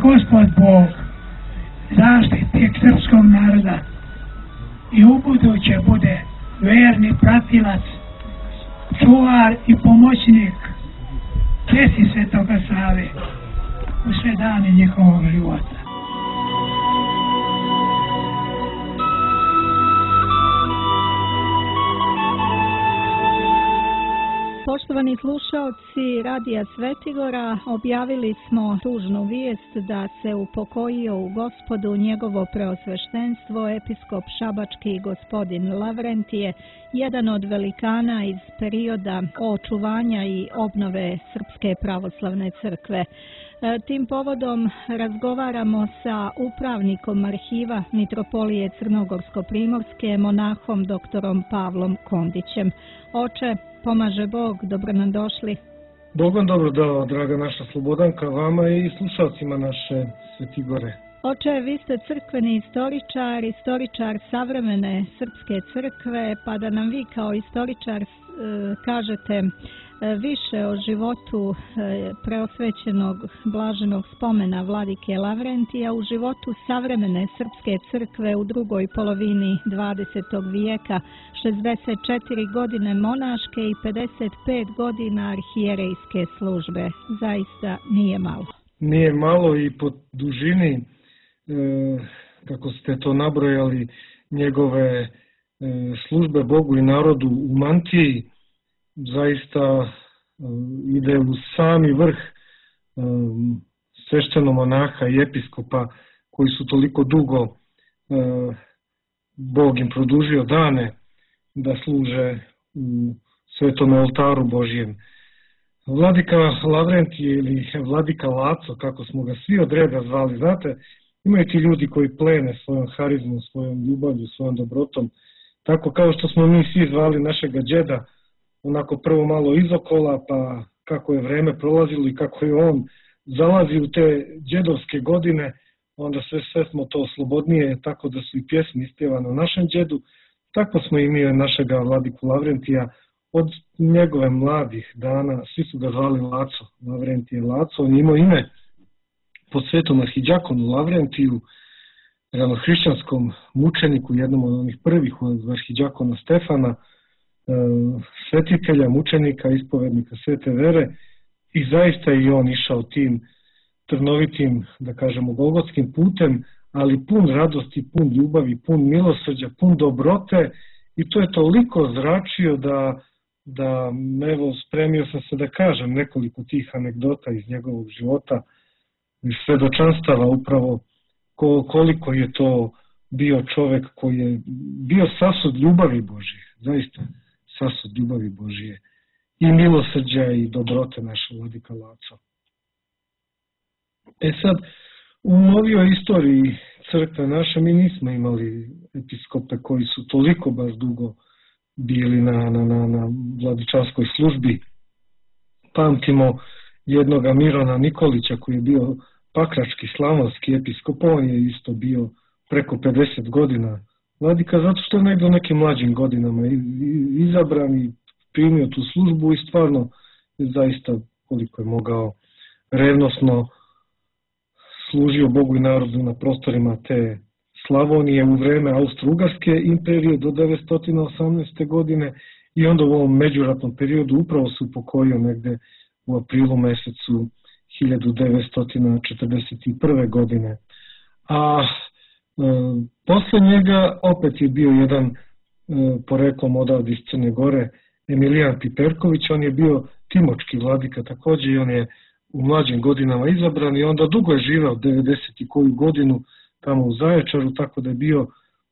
Gospod Bog, zaštitnik srpskog naroda i ubuduće bude verni pratilac, čuvar i pomoćnik česti Svetoga Save u sve dane njihovog života. Poštovani slušaoci Radija Svetigora, objavili smo tužnu vijest da se upokojio u Gospodu njegovo preosveštenstvo episkop šabački gospodin Lavrentije, jedan od velikana iz perioda očuvanja i obnove Srpske pravoslavne crkve. Tim povodom razgovaramo sa upravnikom arhiva Mitropolije Crnogorsko-Primorske, monahom doktorom Pavlom Kondićem. Oče, pomaže Bog, dobro nam došli. Bog vam dobro dao, draga naša Slobodanka, vama i slušalcima naše Svetigore. Oče, vi ste crkveni istoričar savremene srpske crkve, pa da nam vi kao istoričar kažete više o životu preosvećenog blaženog spomena vladike Lavrentija u životu savremene srpske crkve u drugoj polovini 20. vijeka, 64 godine monaške i 55 godina arhijerejske službe. Zaista nije malo. Nije malo i po dužini, kako ste to nabrojali, njegove službe Bogu i narodu u mantiji, zaista ide u sami vrh sveštenomonaha i episkopa koji su toliko dugo Bog im produžio dane da služe u svetom oltaru Božjem. Vladika Lavrentije ili vladika Laco, kako smo ga svi od reda zvali, znate, imaju ti ljudi koji plene svojom harizmom, svojom ljubavlju, svojom dobrotom, tako kao što smo mi svi zvali našega džeda, onako prvo malo izokola, pa kako je vreme prolazilo i kako je on zalazi u te džedovske godine, onda sve smo to slobodnije, tako da su i pjesme ispjevane o našem džedu. Tako smo i mi našega vladiku Lavrentija od njegove mladih dana, svi su ga zvali Laco, Lavrentije Laco. On je imao ime po svetom arhidjakonu Lavrentiju, ranohrišćanskom mučeniku, jednom od onih prvih od arhidjakona Stefana, svetitelja, mučenika, ispovednika svete vere, i zaista i on išao tim trnovitim, da kažemo, golgotskim putem, ali pun radosti, pun ljubavi, pun milosrđa, pun dobrote, i to je toliko zračio da evo, spremio sam se da kažem nekoliko tih anegdota iz njegovog života, iz svedočanstava upravo koliko je to bio čovek koji je bio sasud ljubavi Božje, zaista sasud ljubavi Božije i milosrđa i dobrote naše vladika Laco. Sad, u novijoj istoriji crkve naše mi nismo imali episkope koji su toliko baš dugo bili na vladičanskoj službi. Pamtimo jednoga Mirona Nikolića koji je bio pakrački slavonski episkop, on je isto bio preko 50 godina vladika, zato što je negdje u nekim mlađim godinama izabran i primio tu službu i stvarno je zaista koliko je mogao revnosno služio Bogu i narodu na prostorima te Slavonije u vreme Austro-Ugarske imperije do 918. godine i onda u ovom međuratnom periodu upravo se upokojio negde u aprilu mesecu 1941. godine. A posle njega opet je bio jedan poreklom odavde iz Crne Gore, Emilijan Piperković, on je bio timočki vladika također i on je u mlađim godinama izabran i onda dugo je živeo 90 i koju godinu tamo u Zaječaru, tako da je bio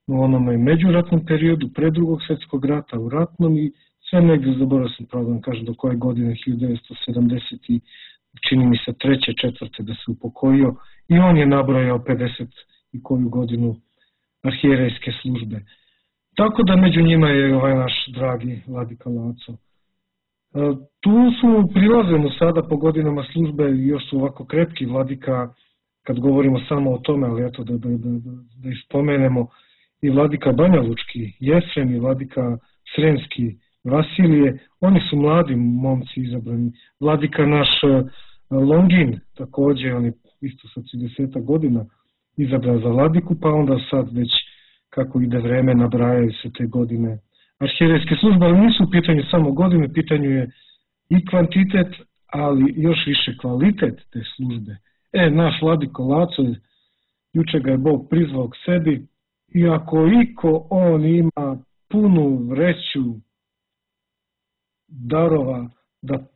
u onome međuratnom periodu, pre drugog svjetskog rata, u ratnom i sve negdje, zaboravio sam pravo da vam kažem do koje godine, 1970 čini mi se 3. 4. da se upokojio i on je nabrojao 50 i koju godinu arhijerejske službe. Tako da među njima je ovaj naš dragi vladika Laco. Tu su, prilazimo sada po godinama službe, još su ovako krepki vladika, kad govorimo samo o tome, ali eto da ispomenemo, i vladika Banjalučki Jefrem i vladika Sremski Vasilije, oni su mladi momci izabrani. Vladika naš Longin, također, on je isto sa 30 godina izabran za vladiku, pa onda sad već kako ide vreme nabrajaju se te godine arhijerejske službe, ali nisu u pitanju samo godine, u pitanju je i kvantitet, ali još više kvalitet te službe. Naš vladiko Laco, juče ga je Bog prizvao k sebi, i ako iko on ima punu vreću darova da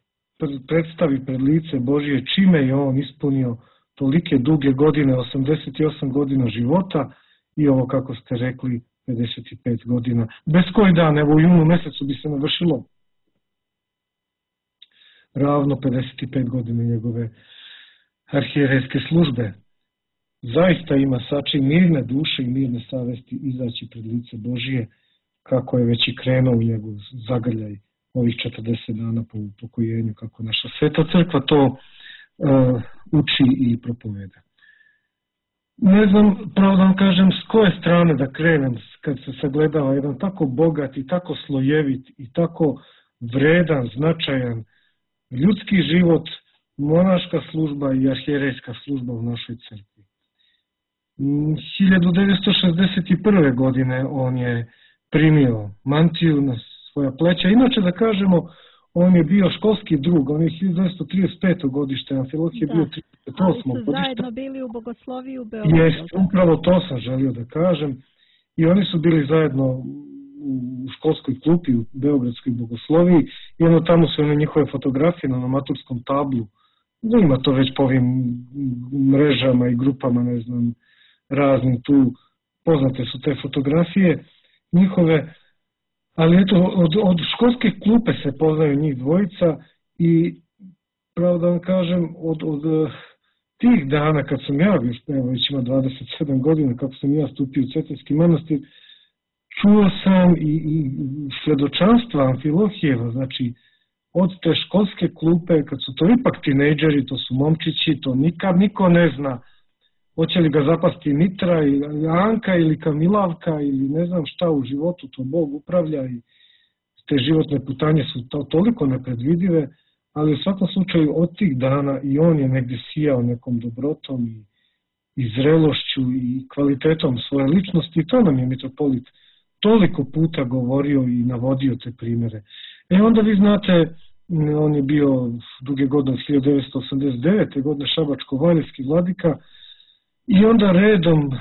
predstavi pred lice Božije, čime je on ispunio tolike duge godine, 88 godina života i ovo, kako ste rekli, 55 godina. Bez koji dan, evo u junu mesecu bi se navršilo ravno 55 godina njegove arhijerejske službe. Zaista ima sačin mirne duše i mirne savesti izaći pred lice Božije, kako je već i krenuo u njegov zagrljaj ovih 40 dana po upokojenju, kako naša sveta crkva to uči i propoveda. Ne znam, pravo da vam kažem, s koje strane da krenem kad se sagledava jedan tako bogat i tako slojevit i tako vredan, značajan ljudski život, monaška služba i arhijerejska služba u našoj crkvi. 1961. godine on je primio mantiju na svoja pleća. Inače, da kažemo, on je bio školski drug, on je 1935. godište, Amfilohije bio 38. Ali su godište. zajedno bili u bogosloviju u Beogradu. Jest, upravo to sam želio da kažem. I oni su bili zajedno u školskoj klupi u Beogradskoj bogosloviji i ono tamo su one njihove fotografije na maturskom tablu. Ima to već po ovim mrežama i grupama, ne znam, raznim tu, poznate su te fotografije njihove, ali eto, od školske klupe se poznaju njih dvojica i pravo da vam kažem, od tih dana kad sam ja, već ima 27 godina kako sam ja stupio u Cetinski manastir, čuo sam i svedočanstva Amfilohijeva, znači od te školske klupe, kad su to ipak tinejdžeri, to su momčići, to nikad niko ne zna, hoće li ga zapasti Mitra ili Anka ili Kamilavka ili ne znam šta u životu, to Bog upravlja i te životne putanje su toliko nepredvidive, ali u svakom slučaju od tih dana i on je negdje sijao nekom dobrotom i zrelošću i kvalitetom svoje ličnosti i to nam je mitropolit toliko puta govorio i navodio te primjere. Onda vi znate, on je bio duge godine 1989. godine šabačko-valjevski vladika i onda redom,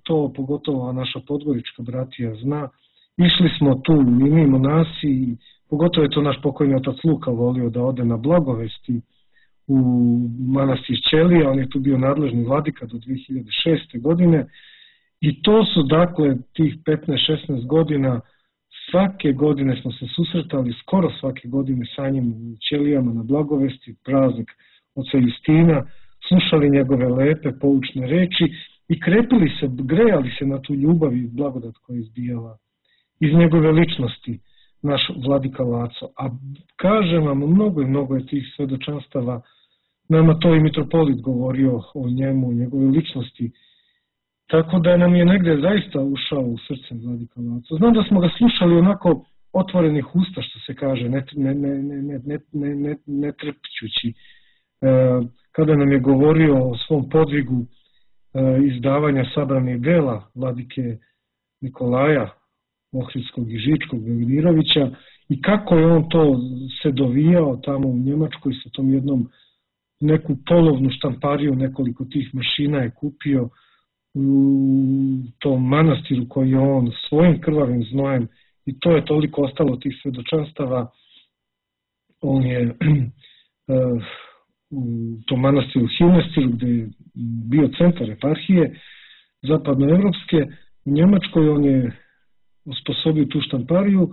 to pogotovo naša podgorička bratija zna, išli smo tu i mi monasi, pogotovo je to naš pokojni otac Luka volio da ode na Blagovesti u manastir Ćelija, on je tu bio nadležni vladika do 2006. godine i to su dakle tih 15-16 godina, svake godine smo se susretali, skoro svake godine sa njim u Ćelijama na Blagovesti, praznik oca Justina, slušali njegove lepe, poučne reči i krepili se, grejali se na tu ljubav i blagodat koja je izbijala iz njegove ličnosti, naš vladika Laco. A kažem vam, mnogo je tih svedočanstava, nama to i mitropolit govorio o njemu, o njegove ličnosti, tako da nam je negde zaista ušao u srce vladika Laco. Znam da smo ga slušali onako otvorenih usta, što se kaže, ne trepćući. Kada nam je govorio o svom podvigu izdavanja sabranih dela vladike Nikolaja Ohridskog i Žičkog Velimirovića i kako je on to se dovijao tamo u Njemačkoj sa tom jednom neku polovnu štampariju, nekoliko tih mašina je kupio u tom manastiru koji je on svojim krvavim znojem i to je toliko ostalo tih svedočanstava. On je u tom manastiru Himestiru gdje je bio centar eparhije zapadnoevropske u Njemačkoj, on je osposobio tu štampariju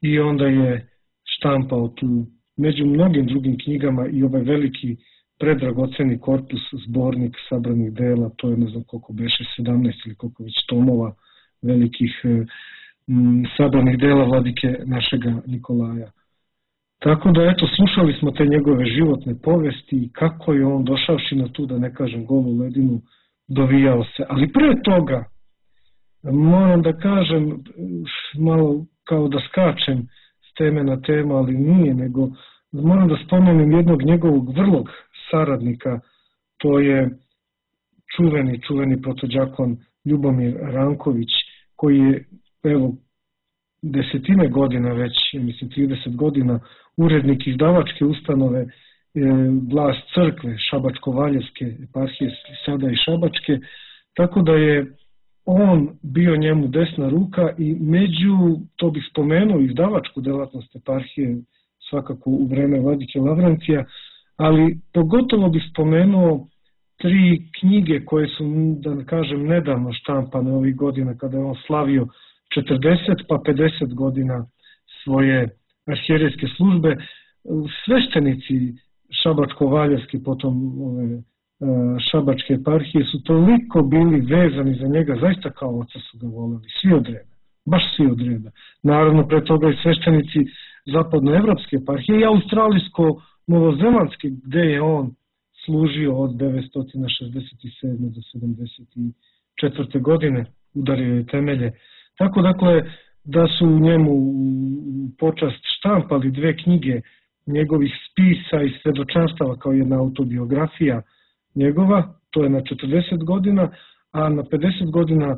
i onda je štampao tu među mnogim drugim knjigama i ovaj veliki predragoceni korpus, zbornik sabranih dela, to je ne znam koliko beše, 17 ili koliko već tomova velikih sabranih dela vladike našega Nikolaja. Tako da eto, slušali smo te njegove životne povesti i kako je on došavši na tu, da ne kažem, golu ledinu, dovijao se. Ali pre toga, moram da kažem, malo kao da skačem s teme na temu, ali nije, nego moram da spomenem jednog njegovog vrlog saradnika, to je čuveni protođakon Ljubomir Ranković, koji je, evo, desetine godina već, mislim 30 godina, urednik izdavačke ustanove Glas crkve Šabačko-Valjevske eparhije, sada i Šabačke, tako da je on bio njemu desna ruka i među, to bih spomenuo, izdavačku delatnost eparhije, svakako u vreme vladike Lavrentija, ali pogotovo bih spomenuo 3 knjige koje su, da kažem, nedavno štampane ovih godina kada je on slavio 40 pa 50 godina svoje arhijerejske službe. Sveštenici Šabačko-Valjevske, potom Šabačke eparhije su toliko bili vezani za njega, zaista kao oca su ga voleli, svi od reda, baš svi od reda. Naravno, pre toga i sveštenici zapadnoevropske eparhije i australijsko-novozelandske, gde je on služio od 967. do 74. godine, udario je temelje. Tako, dakle, da su u njemu počast štampali 2 knjige njegovih spisa i svedočanstava kao jedna autobiografija njegova, to je na 40 godina, a na 50 godina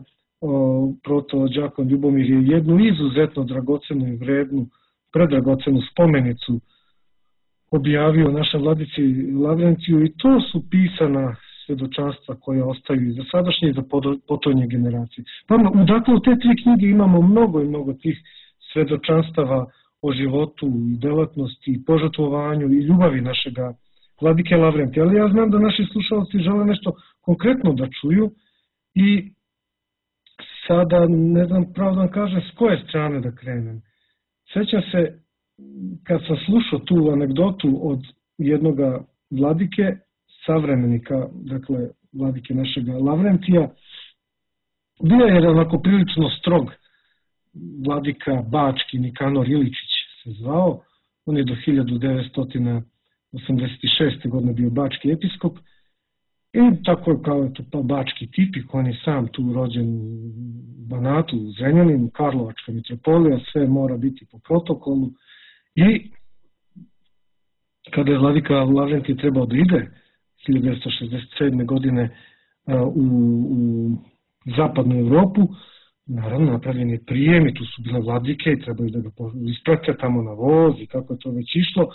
protođakon Ljubomir je jednu izuzetno dragocenu i vrednu, predragocenu spomenicu objavio našem vladici Lavrentiju i to su pisana svedočanstva koje ostaju i za sadašnje i za potonje generacije. Dakle, u te 3 knjige imamo mnogo i mnogo tih svedočanstava o životu i delatnosti i požrtvovanju i ljubavi našega vladike Lavrentija. Ali ja znam da naši slušalci žele nešto konkretno da čuju i sada ne znam pravo da vam kažem s koje strane da krenem. Sećam se kad sam slušao tu anegdotu od jednoga vladike, savremenika, dakle vladike našega Lavrentija, bio je onako prilično strog vladika Bački, Nikanor Iličić se zvao, on je do 1986. godine bio bački episkop i tako je kao to bački tipik, on je sam tu rođen u Banatu, u Zrenjaninu, Karlovačka mitropolija, sve mora biti po protokolu i kada je vladika Lavrentij trebao da ide 1967. godine u zapadnu Evropu, naravno napravljen je prijem i tu su bile vladike i trebaju da ga isprate tamo na voz i kako je to već išlo,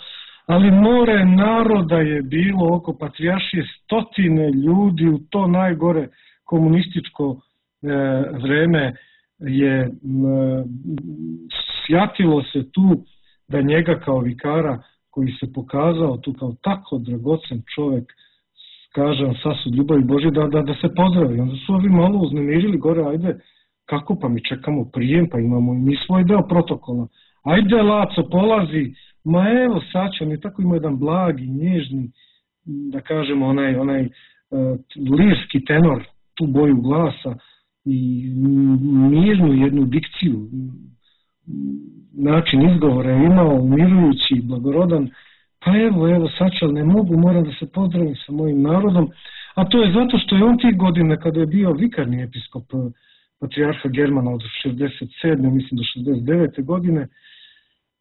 ali more naroda je bilo oko patrijaršije, stotine ljudi u to najgore komunističko vreme je sjatilo se tu da njega kao vikara koji se pokazao tu kao tako dragocen čovjek, kažem, sasud ljubavi Božje, da se pozdravi. Onda su ovi malo uznemirili gore, ajde, kako pa mi čekamo prijem, pa imamo i mi svoj deo protokola. Ajde, Laco, polazi, ma evo, sad će, on je tako ima jedan blagi, nježni, da kažemo, onaj lirski tenor, tu boju glasa i mirnu jednu dikciju, način izgovora je imao, umirujući, blagorodan, pa evo, sad ću, ne mogu, moram da se pozdravim sa mojim narodom, a to je zato što je on tih godina, kada je bio vikarni episkop patrijarha Germana od 67. mislim do 69. godine,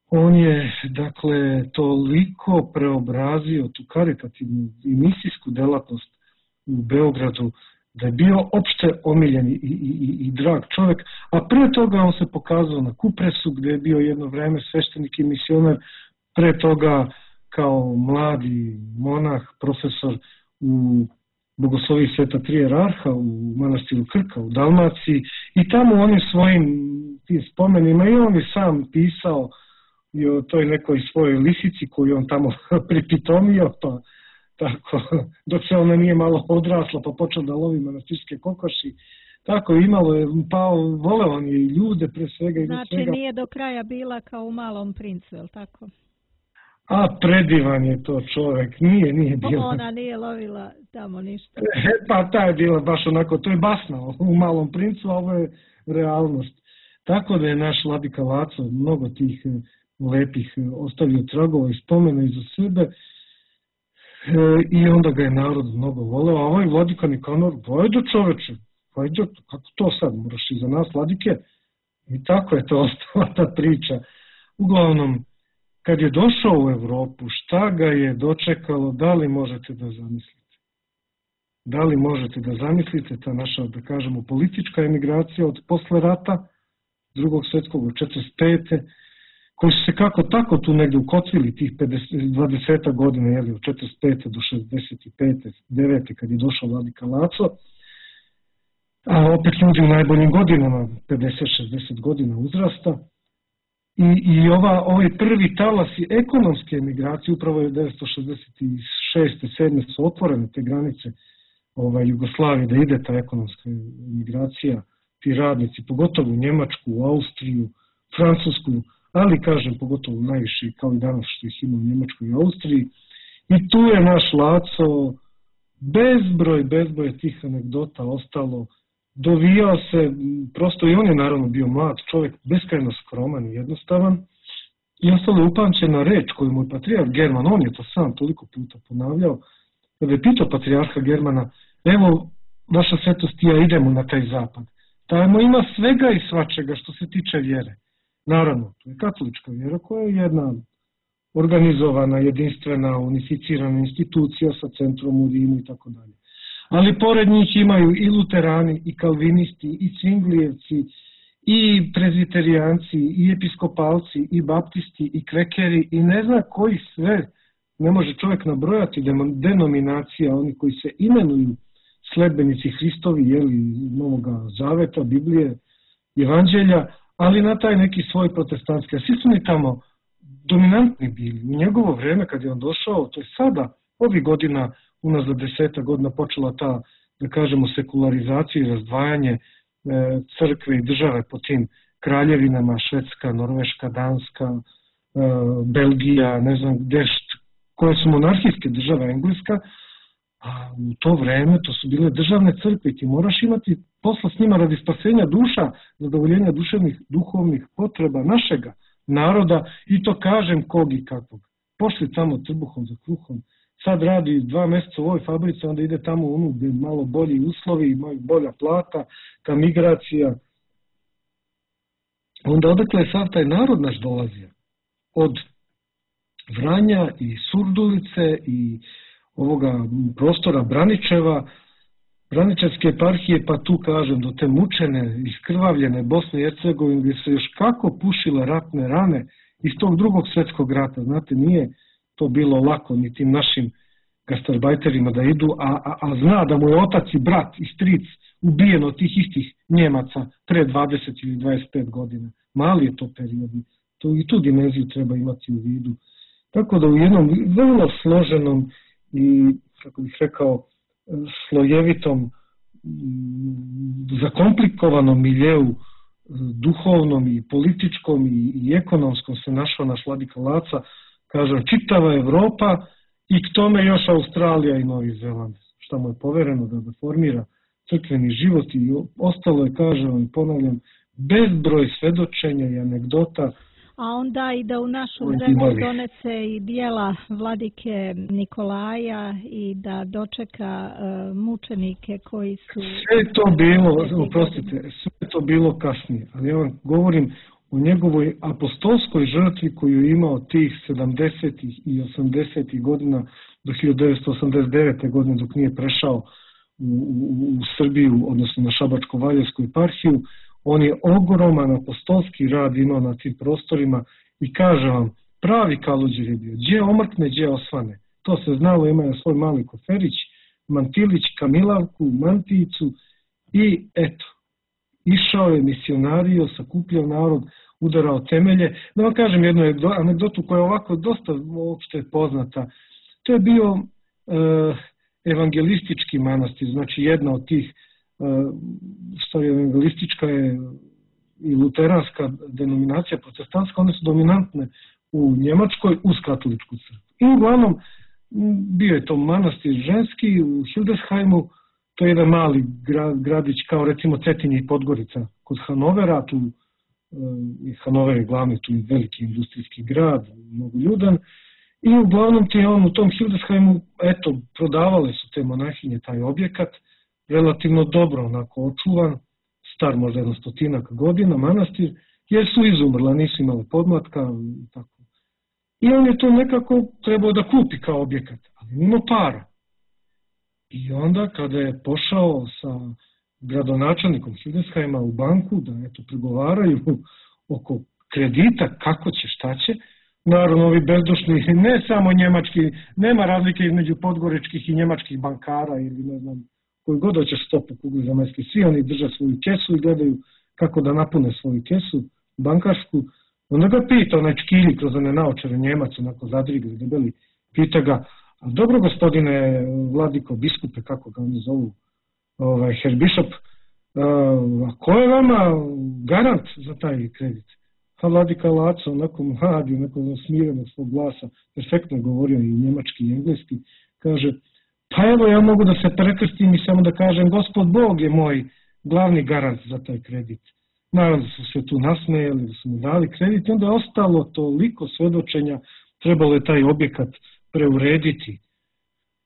on je, dakle, toliko preobrazio tu karitativnu i misijsku delatnost u Beogradu, da je bio opšte omiljen i drag čovjek, a pre toga on se pokazao na Kupresu, gde je bio jedno vreme sveštenik i misionar, pre toga kao mladi monah, profesor u Bogosloviji Sveta Tri Jerarha u manastiru Krka u Dalmaciji i tamo onim svojim tim spomenima i on je sam pisao i o toj nekoj svojoj lisici koju on tamo pripitomio, pa tako, dok se ona nije malo odrasla pa počeo da lovi manastirske kokoši, tako imalo je, pa voleo on je i ljude pre svega i znači svega. Nije do kraja bila kao u Malom princu, je li tako? A predivan je to čovjek, nije bila. Ona nije lovila tamo ništa. Pa ta je bila baš onako, to je basna u Malom princu, a ovo je realnost. Tako da je naš vladika Laco mnogo tih lepih ostavio tragova i spomena iza sebe i onda ga je narod mnogo voleo, a ovaj vladika Nikanor, vajde čoveče, vajde, kako to sad, moraš iza nas vladike? I tako je to ostala ta priča. Uglavnom, kad je došao u Evropu, šta ga je dočekalo, da li možete da zamislite? Da li možete da zamislite ta naša, da kažemo, politička emigracija od posle rata, drugog svjetskog, od 45. koji su se kako tako tu negdje ukotvili tih 20 godina, jeli, od 45. do 65. 9. kad je došao vladika Laco, a opet ljudi u najboljim godinama, 50-60 godina uzrasta. I ovaj prvi talas ekonomske emigracije, upravo je 1966. 7. su otvorene te granice Jugoslavije, da ide ta ekonomska emigracija, ti radnici, pogotovo u Njemačku, u Austriju, Francusku, ali kažem pogotovo najviše kao i danas što ih ima u Njemačkoj i Austriji. I tu je naš Laco bezbroj tih anegdota ostalo, dovijao se, prosto i on je naravno bio mlad čovjek, beskrajno skroman i jednostavan, i ostalo je upamćena reč koju mu je patrijarh German, on je to sam toliko puta ponavljao, kada je pitao patrijarha Germana, evo, vaša svetost i ja idemo na taj zapad. Tamo ima svega i svačega što se tiče vjere. Naravno, to je katolička vjera koja je jedna organizovana, jedinstvena, unificirana institucija sa centrom u Rimu i tako dalje. Ali pored njih imaju i luterani, i kalvinisti, i cvinglijevci, i prezbiterijanci, i episkopalci, i baptisti, i kvekeri, i ne zna koji sve, ne može čovjek nabrojati denominacija, oni koji se imenuju sledbenici Hristovi, jeli, Novoga Zaveta, Biblije, Evanđelja, ali na taj neki svoj protestantski. A svi su oni tamo dominantni bili. U njegovo vrijeme kad je on došao, to je sada, ovih godina, unazad 10 godina počela ta, da kažemo, sekularizacija i razdvajanje crkve i države po tim kraljevinama, Švedska, Norveška, Danska, Belgija, ne znam gdje, koje su monarhijske države, Engleska, a u to vrijeme to su bile državne crkve i ti moraš imati posla s njima radi spasenja duša, zadovoljenja duševnih, duhovnih potreba našega naroda, i to kažem kog i kakvog. Pošli tamo trbuhom za kruhom, sad radi 2 mjeseca u ovoj fabrici, onda ide tamo u onu gdje malo bolji uslovi, imaju bolja plata, ta migracija. Onda odakle je sav taj narod naš dolazio? Od Vranja i Surdulice i ovoga prostora Braničeva, Braničevske eparhije, pa tu kažem do te mučene, iskrvavljene Bosne i Hercegovine, gdje se još kako pušile ratne rane iz tog drugog svjetskog rata. Znate, nije to bilo lako ni tim našim gastarbajterima da idu, a zna da mu je otac i brat i stric ubijen od tih istih Njemaca pre 20 ili 25 godina. Mali je to period. I tu dimenziju treba imati u vidu. Tako da u jednom vrlo složenom i, kako bih rekao, slojevitom, zakomplikovanom miljeu, duhovnom i političkom i ekonomskom se našao naš vladika Laca, kažem, čitava Evropa i k tome još Australija i Novi Zeland, što mu je povereno da formira crkveni život, i ostalo je, kažem i ponavljam, bezbroj svedočenja i anegdota. A onda i da u našu zemlju donese i dijela vladike Nikolaja i da dočeka mučenike koji su... Sve to bilo, oprostite, sve to bilo kasnije, ali ja vam govorim o njegovoj apostolskoj žrtvi koju je imao tih 70. i 80. godina do 1989. godine dok nije prešao u Srbiju, odnosno na Šabačko-Valjevsku eparhiju. On je ogroman apostolski rad imao na tim prostorima i kaže vam, pravi Kaluđer je bio, gdje omrkne, gdje osvane. To se znalo, ima je svoj mali koferić, mantilić, kamilavku, mantijicu i eto, išao je, misionario, sakupljao narod, udarao temelje. Da vam kažem jednu anegdotu koja je ovako dosta uopšte poznata. To je bio evangelistički manastir, znači jedna od tih, stvari evangelistička je i luteranska denominacija, protestantska, one su dominantne u Njemačkoj uz katoličku crkvu. I uglavnom bio je to manastir ženski u Hildesheimu, to je jedan mali gradić kao recimo Cetinje i Podgorica kod Hanovera, tu Hanover je glavni, tu je veliki industrijski grad, mnogo ljudan, i uglavnom ti on u tom Hildesheimu, eto, prodavale su te monahinje taj objekat, relativno dobro onako očuvan, star možda 100 godina manastir, jer su izumrla, nisu imali podmlatka i tako. I on je to nekako trebao da kupi kao objekat, ali nima para. I onda kada je pošao sa gradonačelnikom Hildesheima u banku da pregovaraju oko kredita, kako će, šta će, naravno ovi bezdušni, ne samo njemački, nema razlike između podgoričkih i njemačkih bankara ili ne znam, koji god hoćeš stopu kugli zemaljske, svi oni drže svoju kesu i gledaju kako da napune svoju kesu bankarsku. Onda ga pita onaj čkilji kroz one naočare Njemac, onako zadrigli, debeli, pita ga, dobro gospodine vladiko, biskupe, kako ga oni zovu, Herr Bishop, a ko je vama garant za taj kredit? A vladika Laco, onako mladi, onako smirenog svog glasa, perfektno govorio i njemački i engleski, kaže, pa evo ja mogu da se prekrstim i samo da kažem, Gospod Bog je moj glavni garant za taj kredit. Naravno da su se tu nasmejali, da su mu dali kredit, onda je ostalo toliko svedočenja, trebalo je taj objekat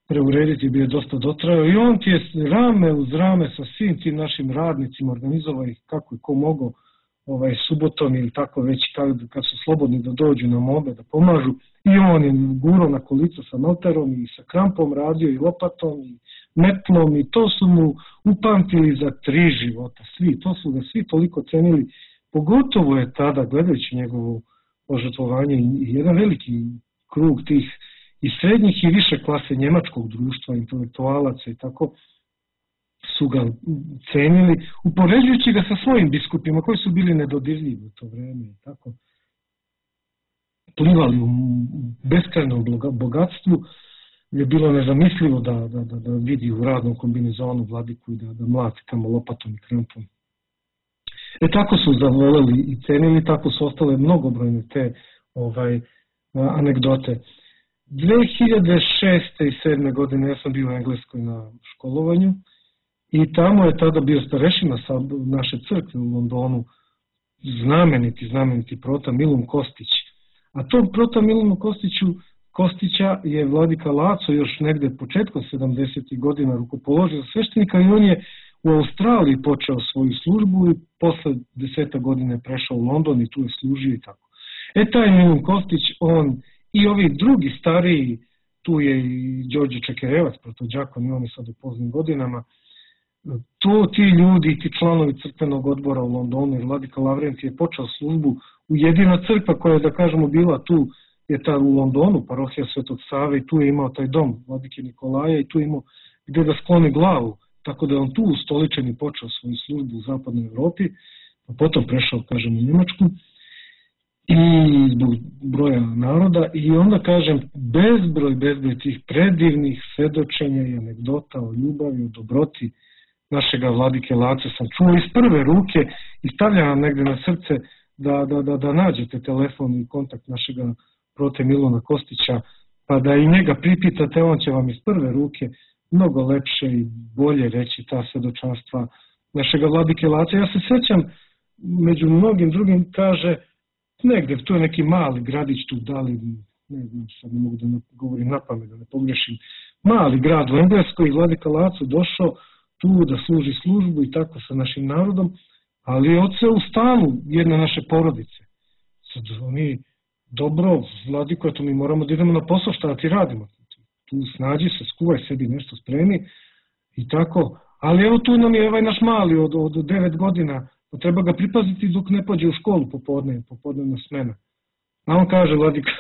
preurediti bi je dosta dotrajao i on ti je rame uz rame sa svim tim našim radnicima organizovao ih kako je ko mogao subotom ili tako već kad su slobodni da dođu na mobe da pomažu i on je gurao na kolica sa noterom i sa krampom radio i lopatom i metlom i to su mu upamtili za 3 života, to su ga svi toliko cenili, pogotovo je tada gledajući njegovo požrtvovanje i jedan veliki krug tih i srednjih i više klase njemačkog društva, intelektualaca i tako su ga cenili, upoređujući ga sa svojim biskupima koji su bili nedodirljivi u to vreme i tako. Plivali u beskrajnom bogatstvu, je bilo nezamislivo da vidi u radnom kombinezonu vladiku i da mlati tamo lopatom i krampom. Tako su zavoleli i cenili, tako su ostale mnogobrojne te anegdote. 2006. i 2007. godine ja sam bio u Engleskoj na školovanju i tamo je tada bio starešina sa naše crkve u Londonu, znameniti prota Milun Kostić. A tog prota Milunu Kostića je vladika Laco još negde početkom 70. godina rukopoložio sveštenika i on je u Australiji počeo svoju službu i posle 10 godina je prešao u London i tu je služio i tako. Taj Milun Kostić, on i ovi drugi stariji, tu je i Đorđe Čekerevac, protođakon i on je sad u poznim godinama, ti ljudi, ti članovi crkvenog odbora u Londonu, jer vladika Lavrent je počeo službu u jedina crkva koja je, da kažemo, bila tu, je ta u Londonu, parohija Svetog Save i tu je imao taj dom vladike Nikolaja i tu je imao gde da skloni glavu, tako da je on tu ustoličen i počeo svoju službu u zapadnoj Evropi, a potom prešao, kažem, u Njemačku i zbog broja naroda i onda, kažem, bezbroj tih predivnih svedočenja i anegdota o ljubavi, o dobroti našega vladike Lace sam čuo iz prve ruke i stavljam negde na srce da nađete telefon i kontakt našega prote Miluna Kostića, pa da i njega pripitate, on će vam iz prve ruke mnogo lepše i bolje reći ta svedočanstva našega vladike Lace. Ja se sećam, među mnogim drugim, kaže, negde, tu je neki mali gradić tu, ne znam, sad ne mogu da ne govorim na pamet, da ne pogrešim, mali grad u Engleskoj i vladika Laco došao tu da služi službu i tako sa našim narodom, ali je odseo u stanu jedne naše porodice. Sad oni, dobro, vladiko, eto mi moramo da idemo na posao, šta ti radimo? Tu snađi se, skuvaj sebi nešto spremi i tako, ali evo tu nam je ovaj naš mali od 9 godina, pa treba ga pripaziti dok ne pođe u školu popodnevna smena. A on kaže, vladika,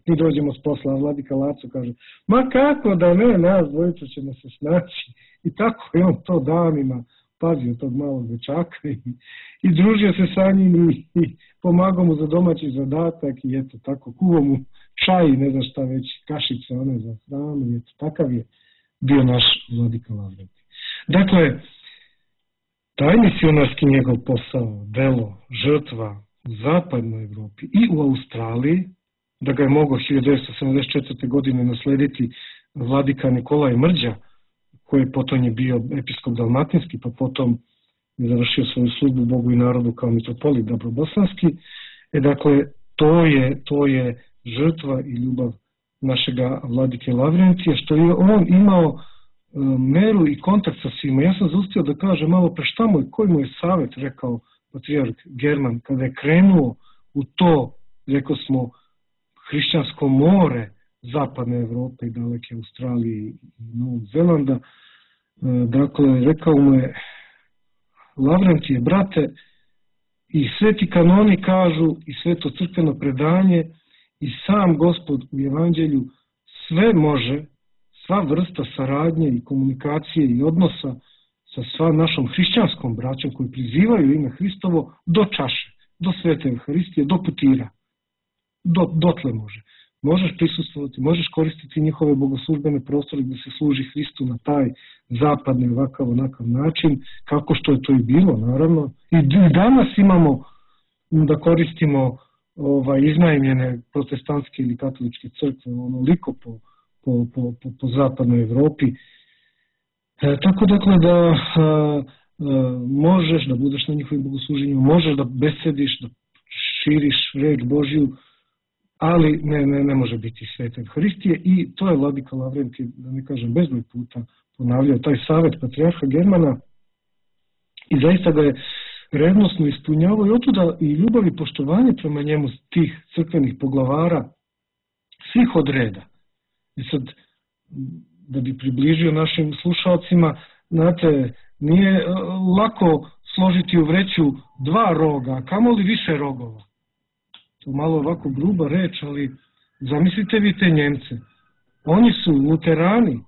mi dođemo s posla, a vladika Laco kaže, ma kako da ne, nas dvojica ćemo se snaći. I tako je on to danima pazio tog malog dečaka i družio se sa njim i pomagao mu za domaći zadatak i eto tako, kuvao mu čaj, ne znam šta već, kašice, one za hranu i eto, takav je bio naš vladika Lavrent. Dakle, taj misionarski njegov posao, delo, žrtva u zapadnoj Evropi i u Australiji, da ga je mogao 1974. godine naslediti vladika Nikolaj Mrđa, koji potom je bio episkop dalmatinski, pa potom je završio svoju službu Bogu i narodu kao mitropolit Dabrobosanski. Dakle, to je žrtva i ljubav našega vladike Lavrentija, što je on imao meru i kontakt sa svima. Ja sam zaustio da kažem malo pre koji mu je savjet rekao patrijarh German kada je krenuo u to, rekao smo, hrišćansko more zapadne Evrope i daleke Australije i Novog Zelanda. Dakle, rekao mu je: Lavrentije, brate, i sveti kanoni kažu i sveto crkveno predanje i sam Gospod u Evanđelju sve može, sva vrsta saradnje i komunikacije i odnosa sa sva našom hrišćanskom braćom koji prizivaju ime Hristovo do čaše, do svete Euharistije, do putira. Dotle može. Možeš prisustvovati, možeš koristiti njihove bogoslužbene prostore gdje se služi Hristu na taj zapadni ovakav onakav način, kako što je to i bilo, naravno. I danas imamo da koristimo iznajmljene protestantske ili katoličke crkve onoliko po zapadnoj Evropi. Tako dakle da možeš da budeš na njihovim bogosluženjima, možeš da besediš, da širiš reč Božju, ali ne može biti svete Euharistije. I to je vladika Lavrentije, da ne kažem bezbroj puta, ponavljao taj savjet patrijarha Germana i zaista ga je revnosno ispunjavao i otuda i ljubav i poštovanje prema njemu tih crkvenih poglavara svih od reda. I sad, da bi približio našim slušalcima, znate, nije lako složiti u vreću 2 roga, a kamoli više rogova. To malo ovako gruba reč, ali zamislite vi te Njemce. Oni su luterani,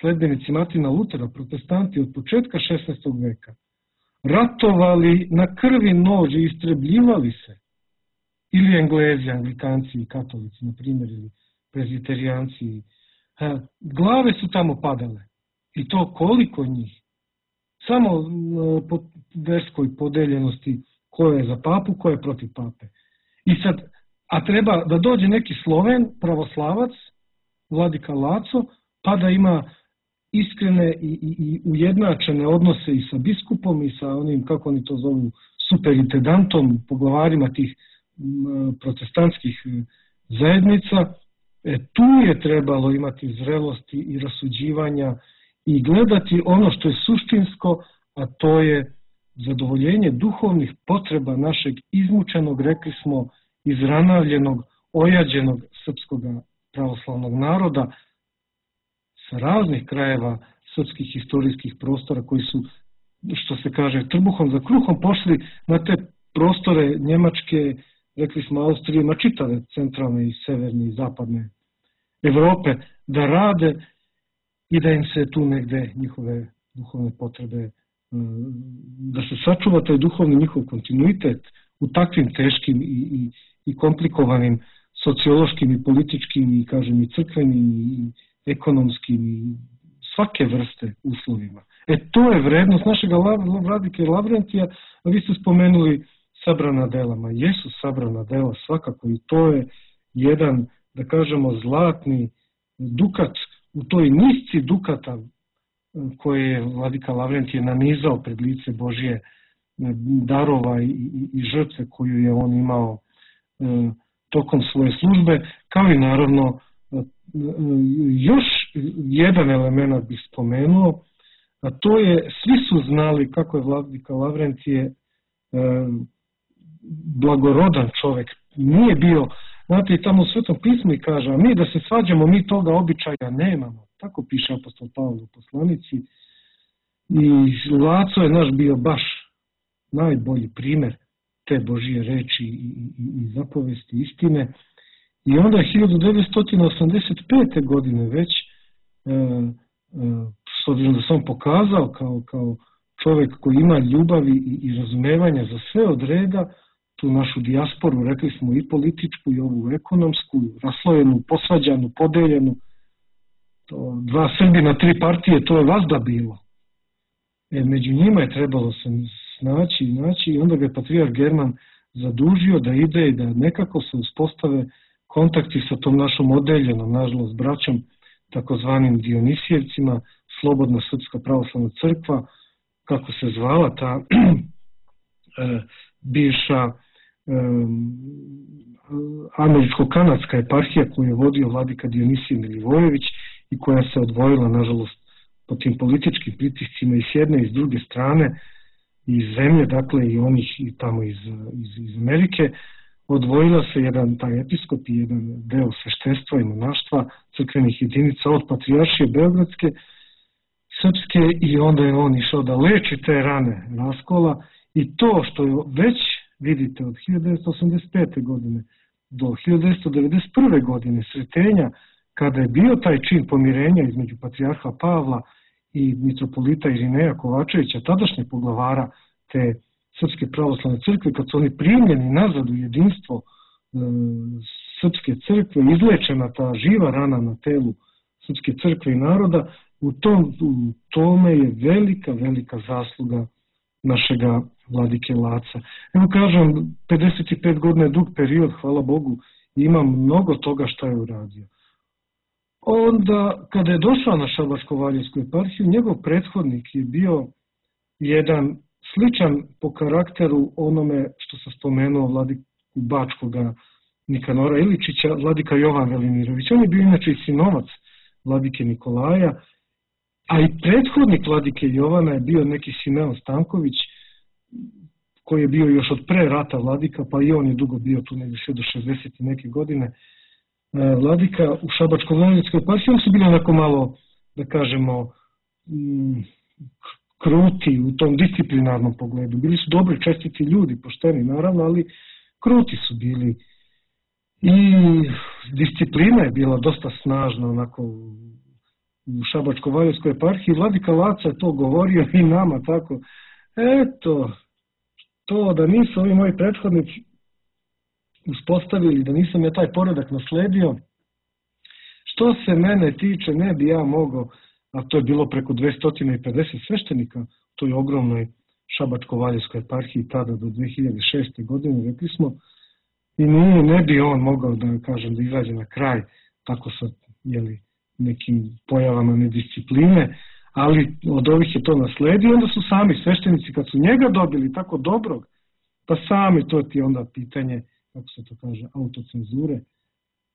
sledbenici Martina Lutera, protestanti od početka 16. veka. Ratovali na krvi nož i istrebljivali se. Ili Englezi, Anglikanci i katolici, na primjer, ili prezbiterijanci. Glave su tamo padale. I to koliko njih. Samo po verskoj podeljenosti ko je za papu, ko je protiv pape. I sad, a treba da dođe neki Sloven, pravoslavac, vladika Laco, pa da ima iskrene i ujednačene odnose i sa biskupom i sa onim, kako oni to zovu, superintendantom, poglavarima tih protestantskih zajednica. Tu je trebalo imati zrelosti i rasuđivanja i gledati ono što je suštinsko, a to je zadovoljenje duhovnih potreba našeg izmučenog, rekli smo, izranavljenog, ojađenog srpskog pravoslavnog naroda sa raznih krajeva srpskih historijskih prostora koji su, što se kaže, trbuhom za kruhom pošli na te prostore Njemačke, rekli smo Austrije, ma čitave centralne i severne i zapadne Evrope, da rade i da im se tu negde njihove duhovne potrebe, da se sačuva taj duhovni njihov kontinuitet u takvim teškim i komplikovanim sociološkim i političkim i, kažem, i crkvenim i ekonomskim i svake vrste uslovima. To je vrednost našeg vladike Lavrentija, a vi ste spomenuli sabrana dela. Jesu sabrana dela svakako i to je jedan, da kažemo, zlatni dukat u toj nisci dukata koje je vladika Lavrentije nanizao pred lice Božje darova i žrtve koju je on imao tokom svoje službe, kao i naravno još jedan element bih spomenuo, a to je, svi su znali kako je vladika Lavrentije blagorodan čovjek, nije bio, znate, i tamo u Svetom pismu i kaže, a mi da se svađamo, mi toga običaja nemamo, tako piše apostol Pavle u poslanici, i Laco je naš bio baš najbolji primjer te Božije reči i zapovesti istine. I onda je 1985. godine već, s obzirom da sam pokazao kao čovjek koji ima ljubavi i razumevanja za sve od reda, tu našu dijasporu, rekli smo, i političku i ovu ekonomsku, raslojenu, posvađanu, podeljenu, to 2 Srbina, 3 partije, to je vazda bilo. Među njima je trebalo se naći i onda ga je patrijarh German zadužio da ide i da nekako se uspostave kontakti sa tom našom odeljenom, nažalost, braćom, takozvanim Dionisijevcima, Slobodna srpska pravoslavna crkva, kako se zvala ta bivša američko-kanadska eparhija koju je vodio vladika Dionisije Milivojević i koja se odvojila, nažalost, po tim političkim pritiscima i s jedne i s druge strane iz zemlje, dakle i onih i tamo iz Amerike. odvojila se jedan taj episkop i jedan deo sveštenstva i monaštva crkvenih jedinica od Patrijaršije Beogradske, srpske, i onda je on išao da leči te rane raskola, i to što je već, vidite, od 1985. godine do 1991. godine sretenja, kada je bio taj čin pomirenja između patrijarha Pavla i mitropolita Irineja Kovačevića, tadašnje poglavara te Srpske pravoslavne crkve, kad su oni primljeni nazad u jedinstvo Srpske crkve, izlečena ta živa rana na telu Srpske crkve i naroda, u tome je velika zasluga našega vladike Laca. Evo kažem, 55 godina je dug period, hvala Bogu, i ima mnogo toga šta je uradio. Onda, kada je došao na Šabačko-Valjevsku eparhiju, njegov prethodnik je bio jedan sličan po karakteru onome što sam spomenuo vladiku Bačkoga Nikanora Iličića, vladika Jovan Velimirović. On je bio inače i sinovac vladike Nikolaja, a i prethodnik vladike Jovana je bio neki Simeon Stanković, koji je bio još od pre rata vladika, pa i on je dugo bio tu negdje sve do 60. neke godine vladika u Šabačko-Valjevskoj eparhiji. Oni su bili onako malo, da kažemo, kruti u tom disciplinarnom pogledu. Bili su dobri, čestiti ljudi, pošteni naravno, ali kruti su bili. I disciplina je bila dosta snažna onako u Šabačko-Valjevskoj eparhiji. Vladika Laca je to govorio i nama tako. Eto, to da nisu ovi moji prethodnici uspostavili, da nisam ja taj poredak nasledio, što se mene tiče, ne bi ja mogao, a to je bilo preko 250 sveštenika, to je ogromnoj Šabačko-Valjevskoj eparhiji tada do 2006. godine, rekli smo, i ne bi on mogao, da kažem, da izađe na kraj tako sa nekim pojavama nediscipline, ali od ovih je to nasledio. Onda su sami sveštenici, kad su njega dobili tako dobrog, pa sami, to ti je onda pitanje, kako se to kaže, autocenzure,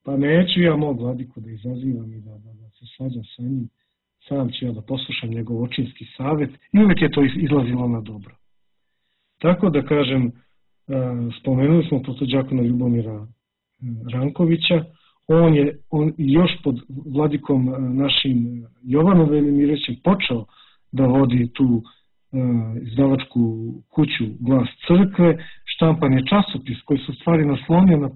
pa neću ja mog vladiku da izazivam i da se svađam sa njim, sam ću ja da poslušam njegov očinski savjet, i uvijek je to izlazilo na dobro. Tako da kažem, spomenuli smo protodžakona Ljubomira Rankovića, on je još pod vladikom našim Jovanom Velimirovićem počeo da vodi tu izdavačku kuću Glas crkve. Štampan je časopis koji se u stvari naslonio na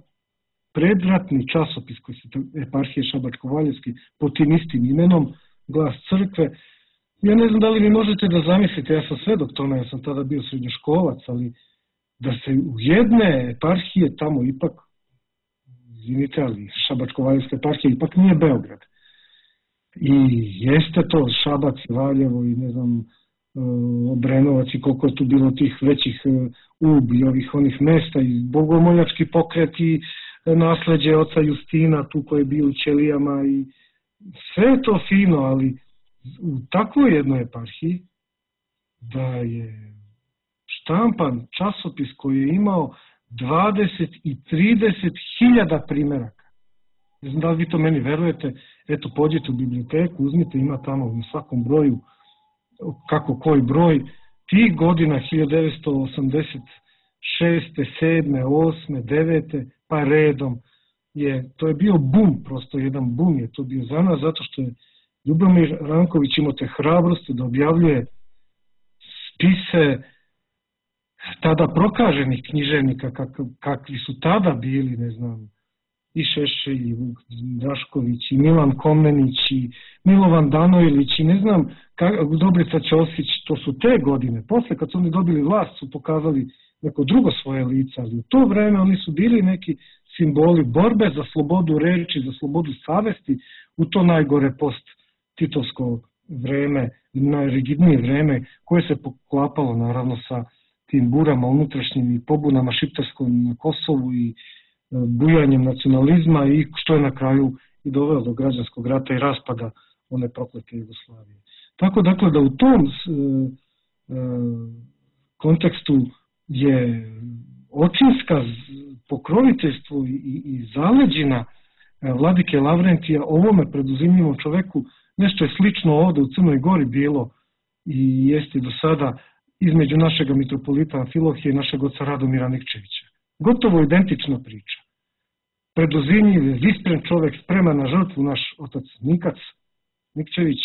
predratni časopis koji se eparhije Šabačko-Valjevski pod tim istim imenom Glas crkve. Ja ne znam da li vi možete da zamislite, ja sam svedok tome, ja sam tada bio srednjoškolac, ali da se u jedne eparhije tamo ipak, izvinite, ali Šabačko-Valjevska eparhija ipak nije Beograd. I jeste to Šabac, Valjevo i ne znam, Obrenovac i koliko je tu bilo tih većih ubi, onih mesta i bogomoljački pokret i nasleđe oca Justina tu koji je bio u Ćelijama i sve je to fino, ali u takvoj jednoj eparhiji da je štampan časopis koji je imao 20 i 30 hiljada primjeraka. Ne znam da li vi to meni verujete, eto pođite u biblioteku, uzmite, ima tamo na svakom broju kako koji broj, tih godina 1986. 7. 8. 9. pa redom, to je bio bum, prosto jedan bum je to bio za nas, zato što je Ljubomir Ranković imao te hrabrosti da objavljuje spise tada prokaženih književnika kakvi su tada bili, ne znam, i Šešelj, i Vuk Drašković, i Milan Komnenić, i Milovan Danojlić, i ne znam, Dobrica Ćosić, to su te godine. Posle kad su oni dobili vlast su pokazali neko drugo svoje lice, ali u to vreme oni su bili neki simboli borbe za slobodu reči, za slobodu savesti, u to najgore post-titovsko vreme, najrigidnije vreme, koje se poklapalo naravno sa tim burama unutrašnjim i pobunama šiptarskom na Kosovu i bujanjem nacionalizma i što je na kraju i dovelo do građanskog rata i raspada one proklete Jugoslavije. Tako dakle da u tom kontekstu je očinska pokroviteljstvo i zaleđina vladike Lavrentija ovome preduzimljivom čoveku nešto je slično ovde u Crnoj Gori bilo i jeste do sada između našega mitropolita Amfilohija i našeg oca Radomira Nikčevića. Gotovo identična priča. Preduzinjiv, iskren čovjek, spreman na žrtvu, naš otac Nikac Nikčević,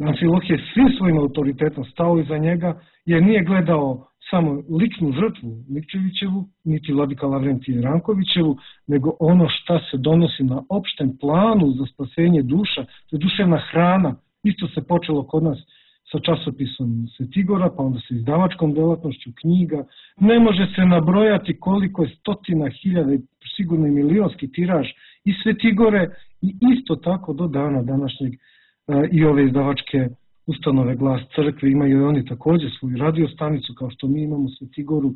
Amfilohije svim svojim autoritetom stao iza njega, jer nije gledao samo ličnu žrtvu Nikčevićevu, niti vladika Lavrentija Rankovićevu, nego ono šta se donosi na opštem planu za spasenje duša, to je duševna hrana. Isto se počelo kod nas sa časopisom Svetigora, pa onda sa izdavačkom delatnošću knjiga. Ne može se nabrojati koliko je stotina hiljada, sigurno i milionski tiraž i Svetigore i isto tako do dana današnjeg i ove izdavačke ustanove Glas crkve imaju i oni također svoju radiostanicu kao što mi imamo Svetigoru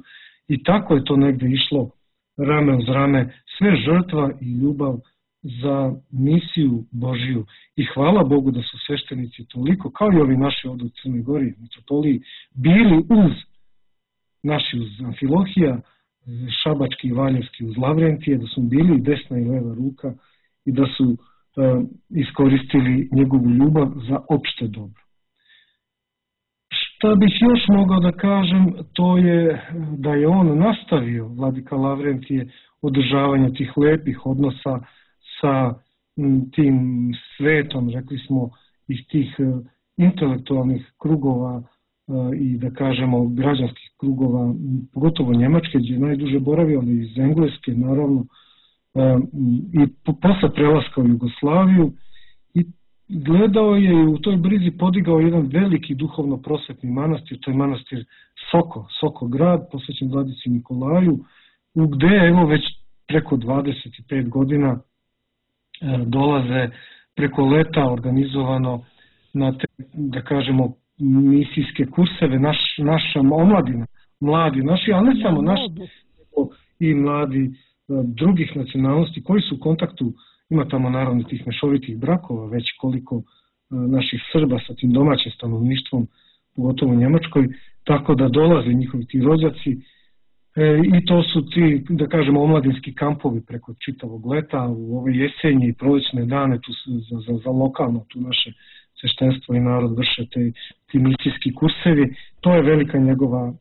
i tako je to negde išlo rame uz rame, sve žrtva i ljubav za misiju Božiju. I hvala Bogu da su sveštenici toliko, kao i ovi naši ovdje u Crnoj Gori, mitropoliji, bili uz naši, uz Amfilohija, šabački i valjevski uz Lavrentije, da su bili desna i leva ruka i da su iskoristili njegovu ljubav za opšte dobro. Šta bih još mogao da kažem, to je da je on nastavio, vladika Lavrentije, održavanje tih lepih odnosa sa tim svetom, rekli smo, iz tih intelektualnih krugova i da kažemo građanskih krugova, pogotovo Njemačke, gdje je najduže boravio, ali iz Engleske, naravno, i posle prelaska u Jugoslaviju i gledao je i u toj brizi podigao jedan veliki duhovno prosvetni manastir, to je manastir Soko grad, posvećen vladici Nikolaju, gde evo već preko 25 godina dolaze preko leta organizovano na te, da kažemo, misijske kurseve, naša omladina, mladi naši, ali ne samo naši, i mladi drugih nacionalnosti koji su u kontaktu, ima tamo naravno tih mešovitih brakova, već koliko naših Srba sa tim domaćim stanovništvom, pogotovo u Njemačkoj, tako da dolaze njihovi ti rođaci i to su ti, da kažemo, omladinski kampovi preko čitavog leta, u ove jesenje i prolećne dane tu za lokalno, tu naše sveštenstvo i narod vrše ti misijski kursevi. To je velika njegova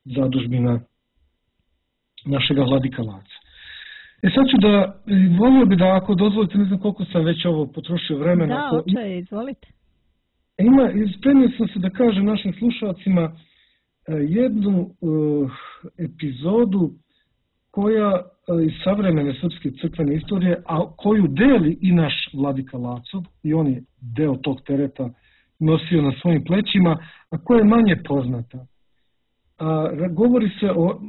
zadužbina našega vladika Laca. Sad ću da, volio bi da ako dozvolite, ne znam koliko sam već ovo potrošio vremena. Da, oče, izvolite. Spremio sam se da kažem našim slušalcima jednu epizodu koja iz savremene srpske crkvene istorije, a koju deli i naš vladika Laco, i on je deo tog tereta nosio na svojim plećima, a koja je manje poznata. Govori se o,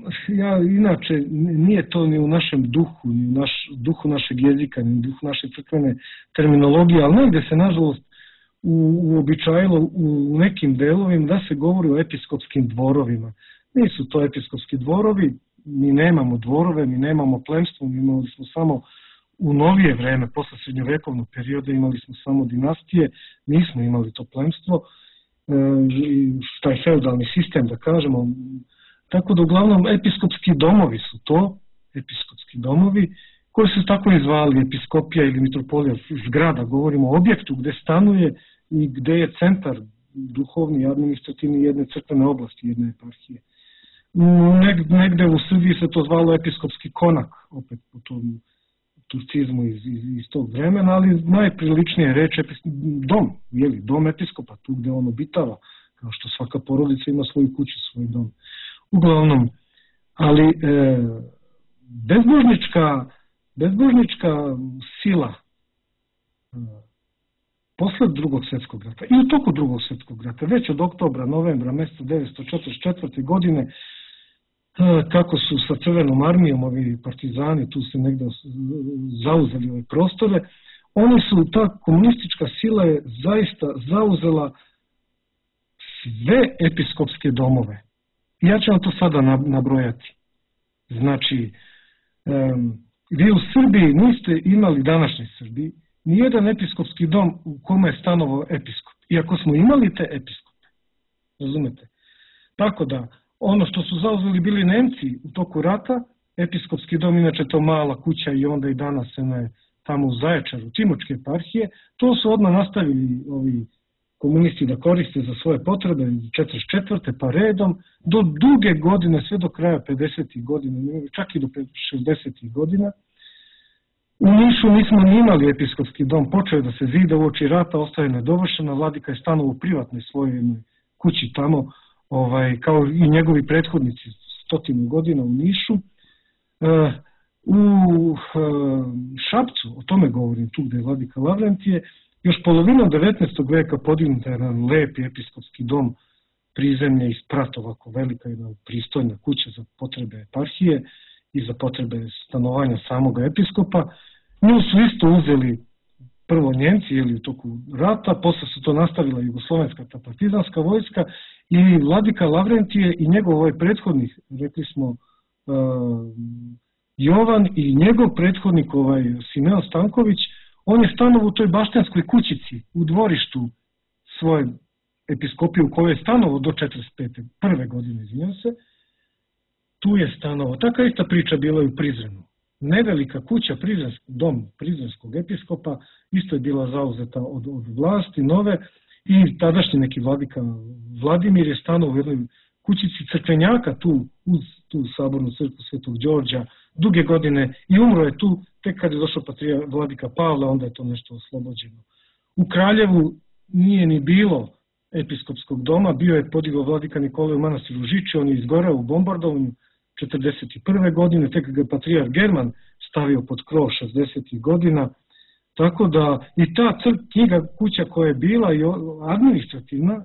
inače nije to ni u našem duhu, ni u duhu našeg jezika, ni u duhu naše crkvene terminologije, ali negde se nažalost uobičajilo u nekim delovima da se govori o episkopskim dvorovima. Nisu to episkopski dvorovi, mi nemamo dvorove, mi nemamo plemstvo, mi imali smo samo u novije vreme, posle srednjovekovnog perioda imali smo samo dinastije, nismo imali to plemstvo, taj feudalni sistem, da kažemo. Tako da uglavnom episkopski domovi su to, episkopski domovi, koji su tako i zvali episkopija ili mitropolija zgrada, govorimo o objektu gde stanuje i gde je centar duhovni i administrativni jedne crkvene oblasti, jedne eparhije. Negde u Srbiji se to zvalo episkopski konak, opet po tom turcizmu iz tog vremena, ali najpriličnije reč je dom, dom episkopa, tu gde on obitava, kao što svaka porodica ima svoju kuću, svoj dom. Uglavnom, ali bezbožnička sila posle drugog svjetskog rata i u toku drugog svjetskog rata, već od oktobra, novembra, mjeseca 1944. godine, kako su sa Crvenom armijom ovi partizani tu se negde zauzeli ove prostore, oni su, ta komunistička sila je zaista zauzela sve episkopske domove. Ja ću vam to sada nabrojati. Znači, vi u Srbiji niste imali, današnjoj Srbiji, nijedan episkopski dom u kome je stanovao episkop. Iako smo imali te episkope. Razumete? Tako da, ono što su zauzeli bili Nemci u toku rata, episkopski dom, inače to mala kuća i onda i danas tamo u Zaječaru, Timočke eparhije, to su odmah nastavili ovi komunisti da koriste za svoje potrebe 44. pa redom do duge godine, sve do kraja 50. godina, čak i do 60. godina. U Nišu nismo ni imali episkopski dom, počeo je da se zida uoči rata, ostaje nedovršena, vladika je stanovao u privatnoj svojoj kući tamo, kao i njegovi prethodnici 100 godina u Nišu. U Šapcu, o tome govorim tu gde je vladika Lavrentije, još polovinom 19. veka podignuta je jedan lepi episkopski dom prizemlje iz prata, ovako velika jedna pristojna kuća za potrebe eparhije i za potrebe stanovanja samoga episkopa. Nju su isto uzeli prvo Njemci u toku rata, posle su to nastavila jugoslovenska ta partizanska vojska i vladika Lavrentije i njegov prethodnik, rekli smo Jovan i njegov prethodnik Simeon Stanković, on je stanovao u toj baštenskoj kućici u dvorištu svoje episkopije u kojoj je stanovao do 45. prve godine, izvinjam se. Tu je stanovao. Taka ista priča bila i u Prizrenu. Nevelika kuća, dom prizrenskog episkopa, isto je bila zauzeta od vlasti nove i tadašnji neki vladika Vladimir je stanovao u jednoj kućici crkvenjaka tu uz tu sabornu crkvu Svetog Đorđa duge godine i umro je tu tek kad je došao vladika Pavle, onda je to nešto oslobođeno. U Kraljevu nije ni bilo episkopskog doma, bio je podigao vladika Nikolaj u manastiru Žiči, on je izgoreo u bombardovanju 41. godine, tek ga je patrijarh German stavio pod krov 60. godina, tako da i ta knjiga kuća koja je bila i administrativna,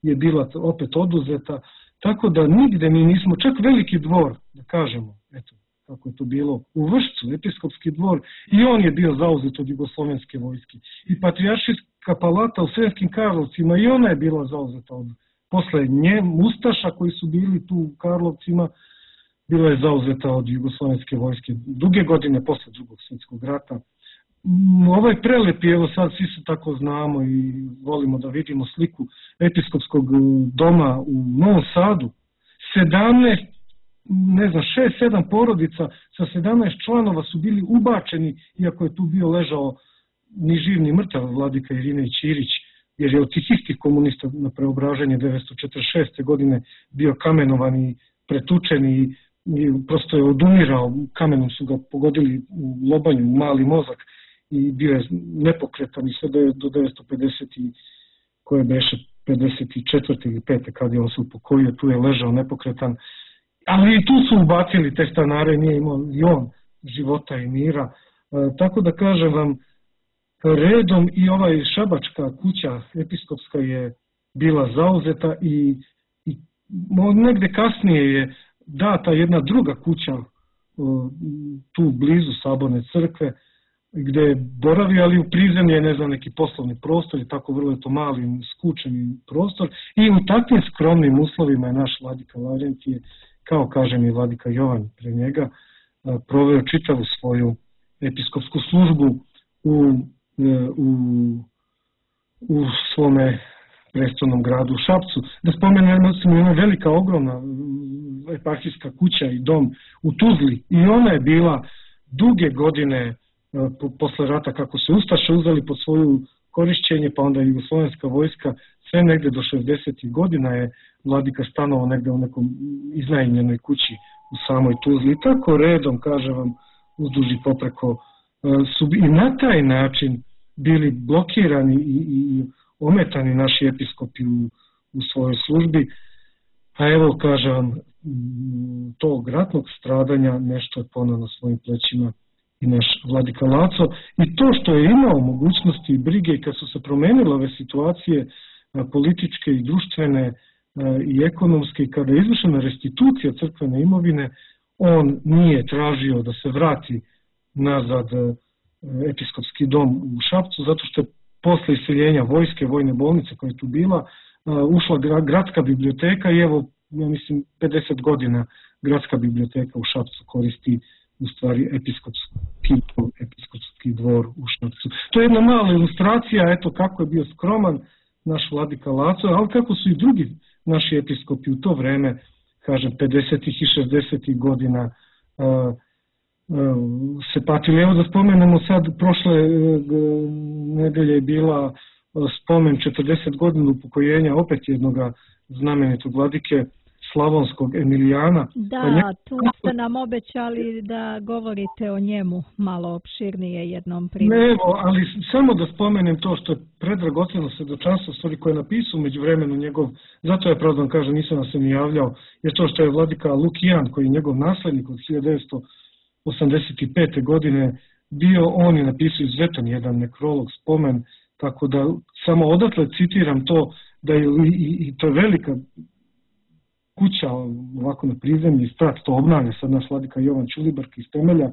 je bila opet oduzeta, tako da nigde mi nismo, čak veliki dvor, da kažemo, eto, kako je to bilo u Vršcu, episkopski dvor, i on je bio zauzet od jugoslovenske vojske. I patrijaršijska palata u Sremskim Karlovcima, i ona je bila zauzeta posle Ustaša koji su bili tu u Karlovcima, bila je zauzeta od jugoslovenske vojske duge godine posle Drugog svjetskog rata. Ovaj prelep je, evo sad svi se tako znamo i volimo da vidimo sliku episkopskog doma u Novom Sadu. 6-7 porodica sa 17 članova su bili ubačeni, iako je tu bio ležao ni živ ni mrtav vladika Irinej Ćirić, jer je od tih istih komunista na preobraženje 1946. godine bio kamenovan i pretučen i prosto je odumirao, kamenom su ga pogodili u lobanju, u mali mozak i bio je nepokretan i sve do 950. koje beše 54. ili 5. kad je on se upokojio, tu je ležao nepokretan. Ali i tu su ubacili te stanare, nije imao i on života i mira. Tako da kažem vam, redom i šabačka kuća episkopska je bila zauzeta i negde kasnije je data jedna druga kuća tu blizu Saborne crkve gde je boravio, ali u prizemlje je neki poslovni prostor i tako vrlo je to mali, skučeni prostor i u takvim skromnim uslovima je naš vladika Lavrentije, kao kažem i vladika Jovan pre njega, proveo čitavu svoju episkopsku službu u svome prestolnom gradu u Šapcu. Da spomenemo jedna velika, ogromna eparhijska kuća i dom u Tuzli i ona je bila duge godine posle rata kako se Ustaše uzeli pod svoju korišćenje, pa onda jugoslovenska vojska, sve negde do 60. godina je vladika stanovao negde u nekom iznajmljenoj kući u samoj Tuzli. I tako redom, kažem vam, uzduž i popreko su i na taj način bili blokirani i ometani naši episkopi u svojoj službi. A evo, kažem vam, tog ratnog stradanja nešto je poneo na svojim plećima i naš vladika Laco. I to što je imao mogućnosti i brige i kad su se promenile ove situacije političke i društvene i ekonomske i kada je izvršena restitucija crkvene imovine, on nije tražio da se vrati nazad episkopski dom u Šapcu, zato što je posle iseljenja vojske, vojne bolnice koja je tu bila, ušla gradska biblioteka i evo, ja mislim, 50 godina gradska biblioteka u Šapcu koristi u stvari episkopski dvor u Šapcu. To je jedna mala ilustracija, eto kako je bio skroman naš vladika Laco, ali kako su i drugi naši episkopi u to vreme, kažem, 50. i 60. godina se patili. Evo da spomenemo sad, prošle nedelje je bila spomen 40 godina upokojenja opet jednog znamenitog vladike Slavonskog Emilijana. Da, tu ste nam obećali da govorite o njemu malo opširnije jednom prilikom. Evo, ali samo da spomenem to što je predragoceno svedočanstvo, stvari koje je napisao među vremenu njegov, zato ja pravdam kažem, nisam se ni javljao, jer to što je vladika Lukijan, koji je njegov naslednik od 1985. godine bio, on je napisao izuzetan jedan nekrolog, spomen, tako da samo odatle citiram to, da je i to je velika kuća ovako na prizemlji, sprat to obnavlja sad naš vladika Jovan Ćulibark iz temelja,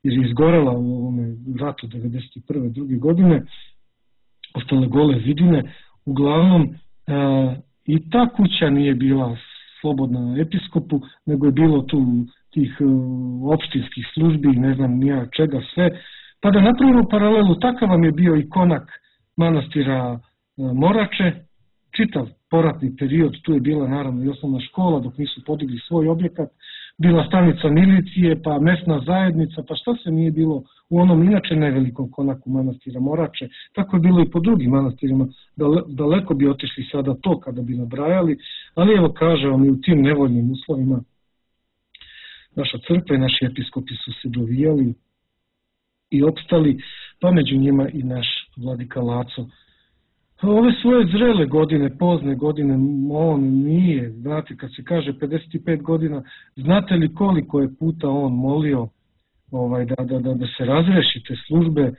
jer je izgorela u ovome ratu 1991. druge godine, ostale gole zidine. Uglavnom, i ta kuća nije bila slobodna episkopu, nego je bilo tu tih opštinskih službi, ne znam nija čega sve. Pa da napravimo paralelu, takav vam je bio i konak manastira Morače, čitav poratni period, tu je bila naravno i osnovna škola dok nisu podigli svoj objekat, bila stanica milicije, pa mesna zajednica, pa šta se nije bilo u onom inače nevelikom konaku manastira Morače, tako je bilo i po drugim manastirima, daleko bi otišli sada to kada bi nabrajali, ali evo kaže vam i u tim nevoljnim uslovima naša crkva i naši episkopi su se dovijali i opstali, pa među njima i naš vladika Laco. Ove svoje zrele godine, pozne godine, on nije, znate, kad se kaže 55 godina, znate li koliko je puta on molio da se razreši te službe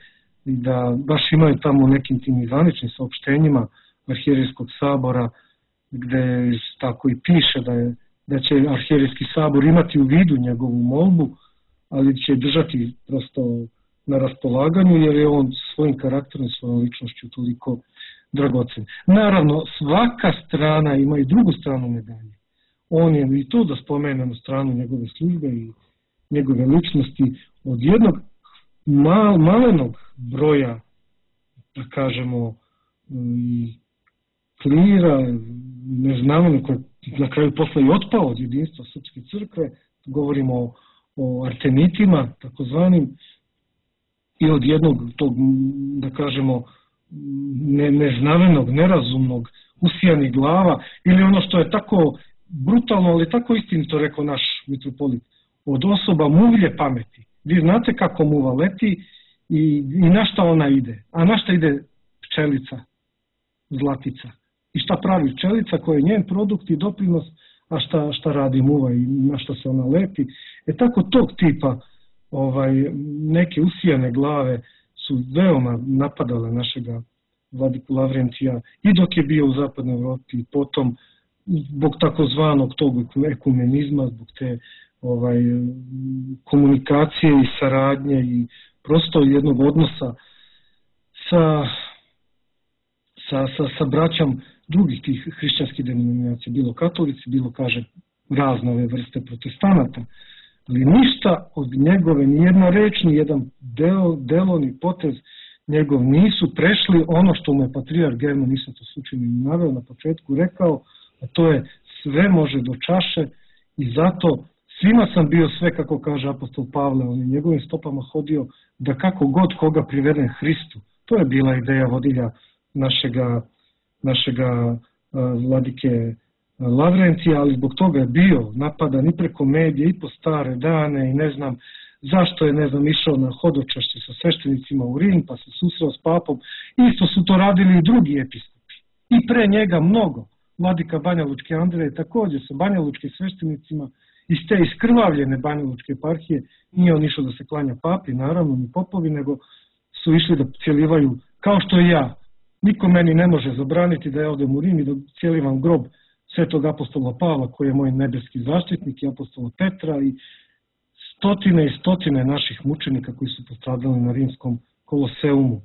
i da baš imaju tamo nekim tim zvaničnim saopštenjima Arhijerejskog sabora, gde tako i piše da će Arhijerejski sabor imati u vidu njegovu molbu, ali će držati prosto na raspolaganju, jer je on svojim karakterom i svojom ličnošću toliko dragocen. Naravno, svaka strana ima i drugu stranu medalje. On je i tu da spomenemo stranu njegove službe i njegove ličnosti od jednog malenog broja, da kažemo, klira, neznamenog, koji na kraju posle i otpao od jedinstva Srpske crkve, govorimo o artemitima, takozvanim, i od jednog tog, da kažemo, neznavenog, nerazumnog, usijanih glava, ili ono što je tako brutalno, ali tako istinito rekao naš mitropolit, od osoba muvlje pameti. Vi znate kako muva leti i na šta ona ide. A na šta ide pčelica, zlatica. I šta pravi pčelica koja je njen produkt i doprinos, a šta radi muva i na šta se ona leti. Tako tog tipa neke usijane glave su veoma napadale našega vladiku Lavrentija i dok je bio u zapadnoj Evropi, potom zbog takozvanog tog ekumenizma, zbog te komunikacije i saradnje i prosto jednog odnosa sa braćom drugih tih hrišćanskih denominacija, bilo katolici, bilo, kaže, razne ove vrste protestanata. Ali ništa od njegove, nijedna reč, nijedan delo, ni potez njegov nisu prešli ono što mu je patrijarh German, nisam to slučajno naveo na početku, rekao, a to je sve može do čaše i zato svima sam bio sve, kako kaže apostol Pavle, on je njegovim stopama hodio da kako god koga priveden Hristu. To je bila ideja vodilja našega vladike Lavrentija, ali zbog toga je bio napadan i preko medije i po stare dane i ne znam zašto je, išao na hodočašće sa sveštenicima u Rim, pa se susreo s papom. Isto su to radili i drugi episkopi. I pre njega mnogo. Vladika Banja Lučke Andreje također sa banjalučkim sveštenicima iz te iskrvavljene Banjalučke eparhije nije on išao da se klanja papi, naravno, ni popovi, nego su išli da cijelivaju, kao što i ja. Niko meni ne može zabraniti da ja odem u Rim i da cijelivam grob svetog apostola Pavla, koji je moj nebeski zaštitnik, i apostola Petra i stotine naših mučenika koji su postradali na rimskom koloseumu.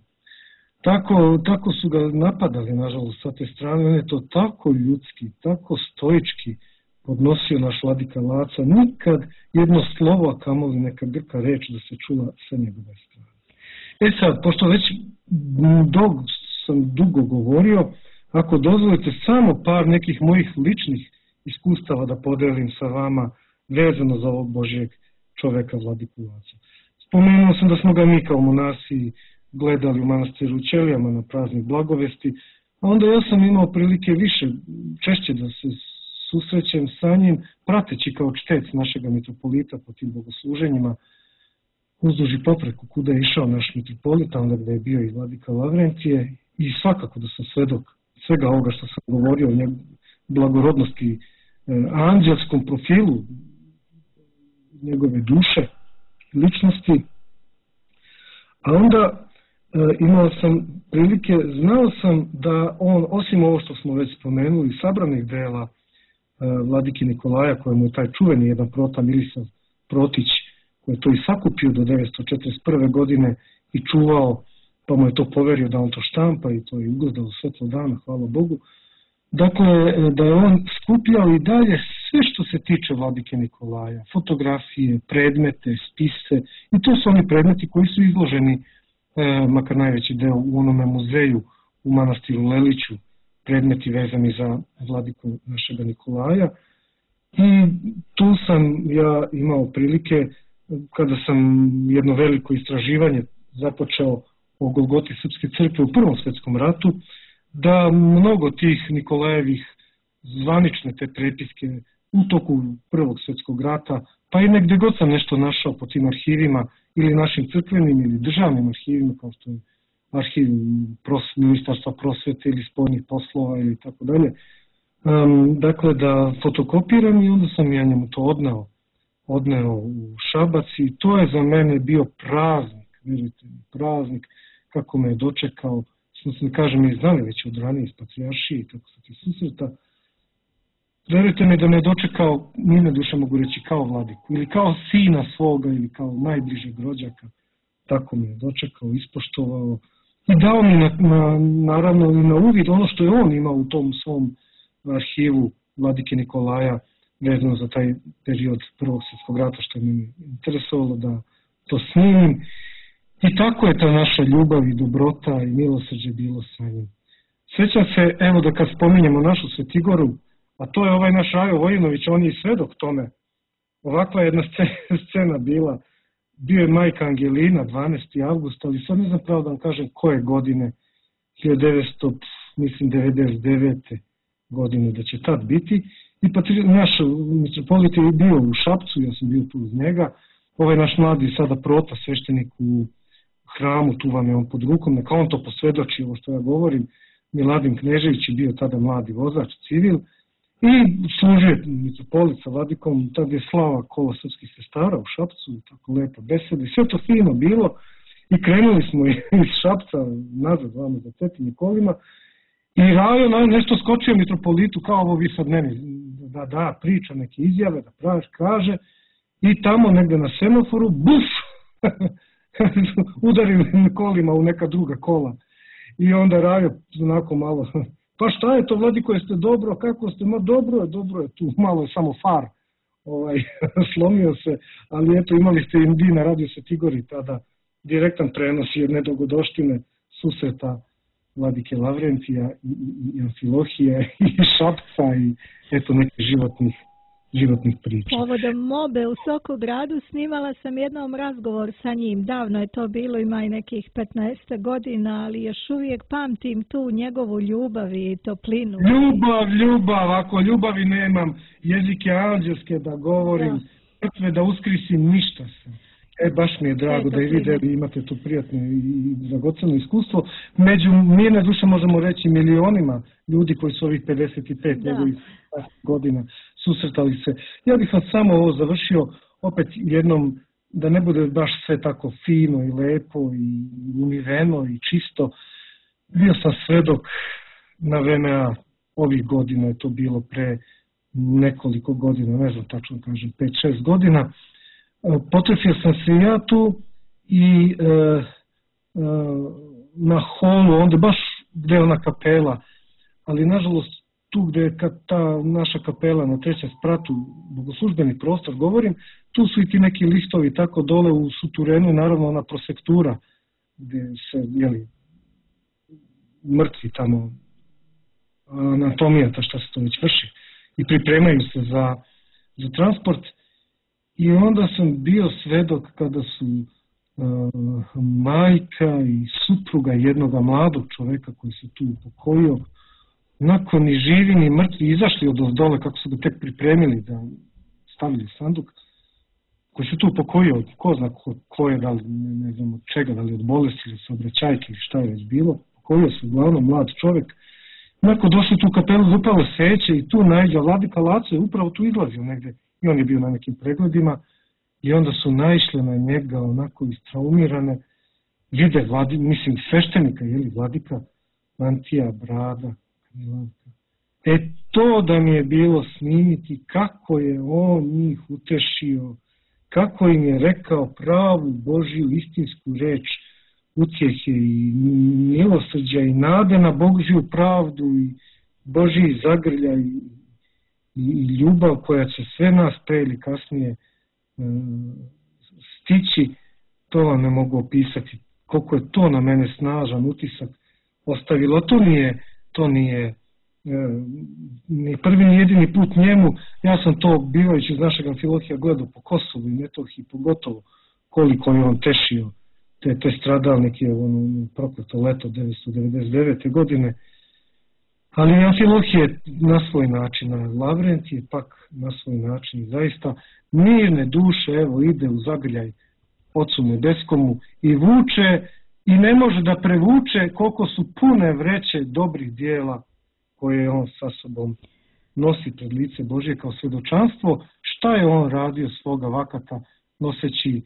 Tako su ga napadali, nažalost, sa te strane. On je to tako ljudski, tako stoički podnosio naš vladika Laca. Nikad jedno slovo, a kamoli neka grka reč da se čula sa njegove strane. Sad, pošto već sam dugo govorio, ako dozvolite samo par nekih mojih ličnih iskustava da podelim sa vama vezano za ovog Božjeg čoveka vladiku Laca. Spomenuo sam da smo ga mi kao monasi gledali u manastiru u Ćelijama na praznik Blagovesti, a onda ja sam imao prilike češće da se susrećem sa njim, prateći kao čtec našega mitropolita po tim bogosluženjima, uzduž i popreko kuda je išao naš mitropolita, onda gde je bio i vladika Lavrentije, i svakako da sam svedok svega ovoga što sam govorio o blagorodnosti, anđelskom profilu njegove duše, ličnosti. A onda imao sam prilike, znao sam da on, osim ovo što smo već spomenuli, sabranih dela vladike Nikolaja, kojemu je taj čuveni jedan prota Milisav Protić, koji je to i sakupio do 941. godine i čuvao, pa mu je to poverio da on to štampa i to je ugledalo svetlo dana, hvala Bogu. Dakle, da je on skupljao i dalje sve što se tiče vladike Nikolaja, fotografije, predmete, spise, i to su oni predmeti koji su izloženi, makar najveći deo, u onome muzeju u manastiru Leliću, predmeti vezani za vladiku našega Nikolaja. I tu sam ja imao prilike, kada sam jedno veliko istraživanje započeo o Golgoti Srpske crkve u Prvom svetskom ratu, da mnogo tih Nikolajevih zvanične te prepiske u toku Prvog svjetskog rata, pa i negde god sam nešto našao po tim arhivima, ili našim crkvenim ili državnim arhivima, kao što je arhiv Ministarstva prosvete ili spoljnih poslova ili tako dalje. Dakle, da fotokopiram, i onda sam ja njemu to odneo u Šabac, i to je za mene bio praznik, vidite, praznik, kako me je dočekao, što se kažem, i znali već od ranije iz patrijaršije i tako sa ti susreta. Verujte mi da me je dočekao, njime duše mogu reći, kao vladiku, ili kao sina svoga, ili kao najbližeg rođaka. Tako me je dočekao, ispoštovao i dao mi naravno i na uvid ono što je on imao u tom svom arhivu vladike Nikolaja vezano za taj period Prvog svjetskog rata, što je meni interesovalo da to snimim. I tako je ta naša ljubav i dobrota i milosrđe bilo sa njim. Sjećam se, evo da kad spominjemo našu Svetigoru, a to je ovaj naš Rajo Vojinović, on je i svedok tome. Ovakva jedna scena bila. Bio je majka Angelina, 12. avgust, ali sad ne znam pravo da vam kažem koje godine, 1999. godine da će tad biti. I naš mitropolit je bio u Šapcu, ja sam bio tu uz njega. Ovaj naš mladi sada prota, sveštenik u hramu, tu vam je on pod rukom, neka on to posvedoči, ovo što ja govorim. Miladin Knežević je bio tada mladi vozač, civil, i služio mitropolit sa vladikom, tad je slava kola srpskih sestara u Šapcu, tako lepa beseda, i sve to fino bilo, i krenuli smo iz Šapca nazad vamo za Svetim kolima, i Rajo nešto skočio mitropolitu, kao ovo vi sad meni, da priča neke izjave, da kaže, i tamo negde na semaforu, buf, udario kolima u neka druga kola. I onda Rajo onako malo, pa šta je to, vladiko, jeste dobro, kako ste, ma dobro je tu, malo je samo far slomio se, ali eto imali ste im na Radio Svetigori tada direktan prenos jedne dogodoštine susreta vladike Lavrentija i Amfilohije i Šapca i eto nekih životnih priča. Povodom Mobe u Sokogradu snimala sam jednom razgovor sa njim. Davno je to bilo, ima i nekih 15 godina, ali još uvijek pamtim tu njegovu ljubav i toplinu. Ljubav, ako ljubavi nemam, jezike anđelske da govorim, mrtve da uskrisim, ništa sam. Baš mi je drago da i vi imate to prijatno i dragoceno iskustvo. Među mirne duše možemo reći milionima ljudi koji su ovih 55 njegovih godina susretali se. Ja bih vas samo ovo završio opet jednom, da ne bude baš sve tako fino i lepo i umiveno i čisto. Bio sam svedok na VMA ovih godina, je to bilo pre nekoliko godina, ne znam tačno kažem, 5-6 godina. Potrefio sam se ja tu i na holu, onda baš gde je ona kapela, ali nažalost tu gde je ta naša kapela na trećem spratu, bogoslužbeni prostor govorim, tu su i ti neki listovi tako dole u suturenu, naravno ona prosektura gde se, mrtvi tamo, anatomija, ta šta se to već vrši, i pripremaju se za transport. I onda sam bio svedok kada su majka i supruga jednoga mladog čoveka koji se tu upokojio, nakon ni živi ni mrtvi izašli od dole kako su ga tek pripremili da stavili sanduk, koji se tu upokojio, ko zna ko je, da li, ne znam od čega, da li od bolesti ili saobraćajke ili šta je već bilo, upokojio se uglavnom mlad čovek. Nakon došli tu kapelu, zapalo seće i tu naiđa vladika Laco je upravo tu izlazio negde i on je bio na nekim pregledima i onda su naišle na njega onako istraumirane, vide sveštenika, vladika, mantija, brada, kamilanka. To da mi je bilo snimiti kako je on njih utešio, kako im je rekao pravu Božju istinsku reč utjehe i milosrđa i nade na Božju pravdu i Božji zagrljaj i ljubav koja će sve nas pre ili kasnije stići, to vam ne mogu opisati. Koliko je to na mene snažan utisak ostavilo. To nije ni prvi ni jedini put njemu. Ja sam to bivajući iz našeg Amfilohija gledao po Kosovu i Metohiji, pogotovo koliko je on tešio te stradalnike u prokleto leto 1999. godine. Ali Amfilohije na svoj način, a Lavrent je pak na svoj način. Zaista mirne duše ide u zagrljaj Ocu Nebeskomu i vuče i ne može da prevuče koliko su pune vreće dobrih dijela koje on sa sobom nosi pred lice Božje kao svjedočanstvo šta je on radio svoga vakata noseći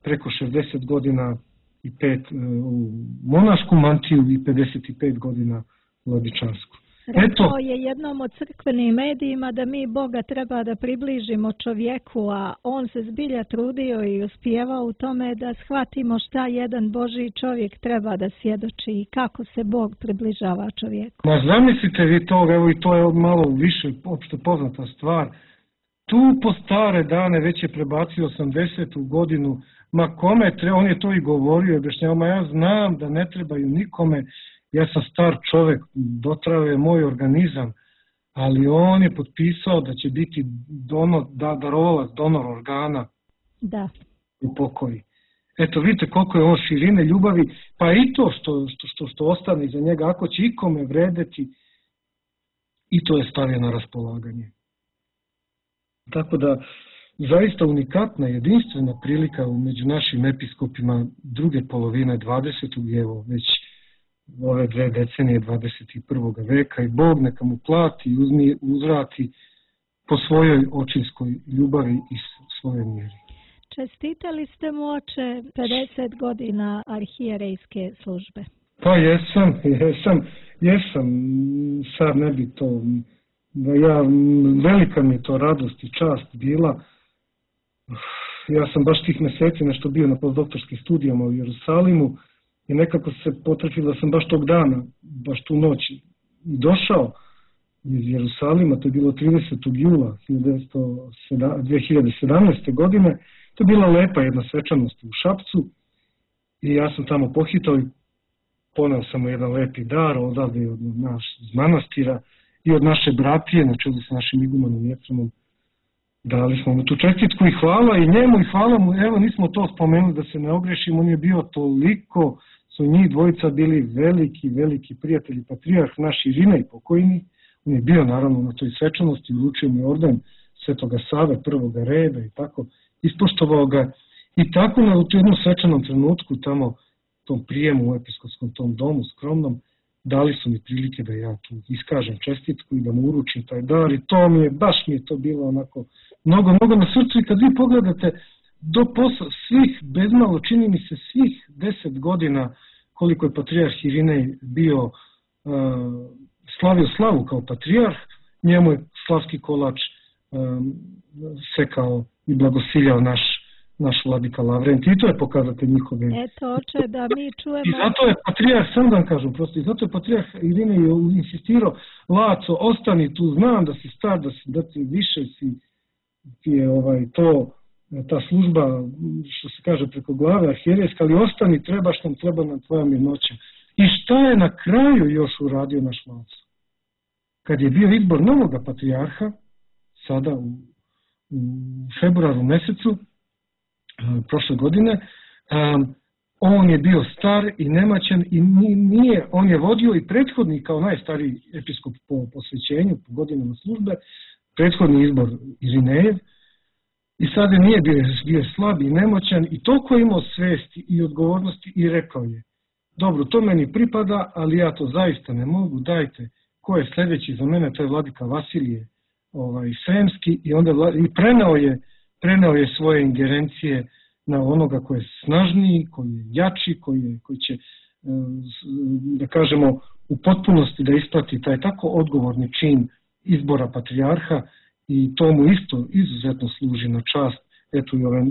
preko 60 godina i 5 u monašku mantiju i 55 godina u vladečansku. Rekao je jednom od crkvenim medijima da mi Boga treba da približimo čovjeku, a on se zbilja trudio i uspijevao u tome da shvatimo šta jedan Božji čovjek treba da svjedoči i kako se Bog približava čovjeku. Ma zamislite vi to, evo i to je malo više opšte poznata stvar. Tu po stare dane već je prebacio 80. godinu, ma kome treba, on je to i govorio, objašnjavao, ma ja znam da ne trebaju nikome, ja sam star čovek, dotrao je moj organizam, ali on je potpisao da će biti darovalac, donor organa u pokoji. Eto, vidite koliko je on širine ljubavi, pa i to što ostane iza njega, ako će ikome vredeti, i to je stavio na raspolaganje. Tako da, zaista unikatna, jedinstvena prilika među našim episkopima druge polovine 20. i evo već ove 2 decenije 21. veka i Bog neka mu plati i uzvrati po svojoj očinskoj ljubavi i svojoj mjeri. Čestitali ste mu, oče, 50 godina arhijerejske službe. Pa jesam. Sad ne bi to... velika mi je to radost i čast bila. Ja sam baš tih meseci nešto bio na postdoktorskim studijama u Jerusalimu i nekako se potrefilo da sam baš tog dana, baš tu noć došao iz Jerusalima, to je bilo 30. jula 2017. godine. To je bila lepa jedna svečanost u Šapcu i ja sam tamo pohitao i poneo sam mu jedan lepi dar odavde od naš manastira i od naše bratije, na čelu sa našim igumanom Jefremom. Dali smo mu tu čestitku i hvala i njemu i hvala mu, evo nismo to spomenuli da se ne ogrešimo, on je bio toliko, su njih dvojica bili veliki prijatelji, patrijarh naš Irina i pokojni, on je bio naravno na toj svečanosti, uručio mu orden Svetoga Save prvoga reda i tako, ispoštovao ga i tako na jednom svečanom trenutku tamo, tom prijemu u episkopskom tom domu skromnom, dali su mi prilike da ja tu iskažem čestitku i da mu uručim taj dar i to mi je, baš mi je to bilo onako mnogo na srcu i kad vi pogledate do posla svih, bezmalo čini mi se svih 10 godina koliko je patrijarh Irinej bio, slavio slavu kao patrijarh, njemu je slavski kolač sekao i blagosiljao naš vladika Lavrent i to je pokazatelj njihove. Eto, oče, da mi čujemo... I zato je patrijarh, sam da vam kažem prosto, i zato je patrijarh Irinej insistirao, Laco, ostani tu, znam da si star, da ti više ti je ta služba, što se kaže preko glave, arhijerejska, ali ostani, treba nam tvoja mirnoća. I šta je na kraju još uradio naš Laco? Kad je bio izbor novoga patrijarha, sada u februaru mesecu, prošle godine, On je bio star i nemaćan i on je vodio i prethodni kao najstariji episkop po posvećenju, po godinama službe, prethodni izbor Irinejev, i sada nije bio slab i nemoćan i toliko je imao svesti i odgovornosti i rekao je: dobro, to meni pripada, ali ja to zaista ne mogu, dajte, ko je sljedeći za mene, to je vladika Vasilije Sremski, i onda preneo je svoje ingerencije na onoga koji je snažniji, koji je jači, koji će, da kažemo, u potpunosti da isprati taj tako odgovorni čin izbora patrijarha, i to mu isto izuzetno služi na čast, eto i ove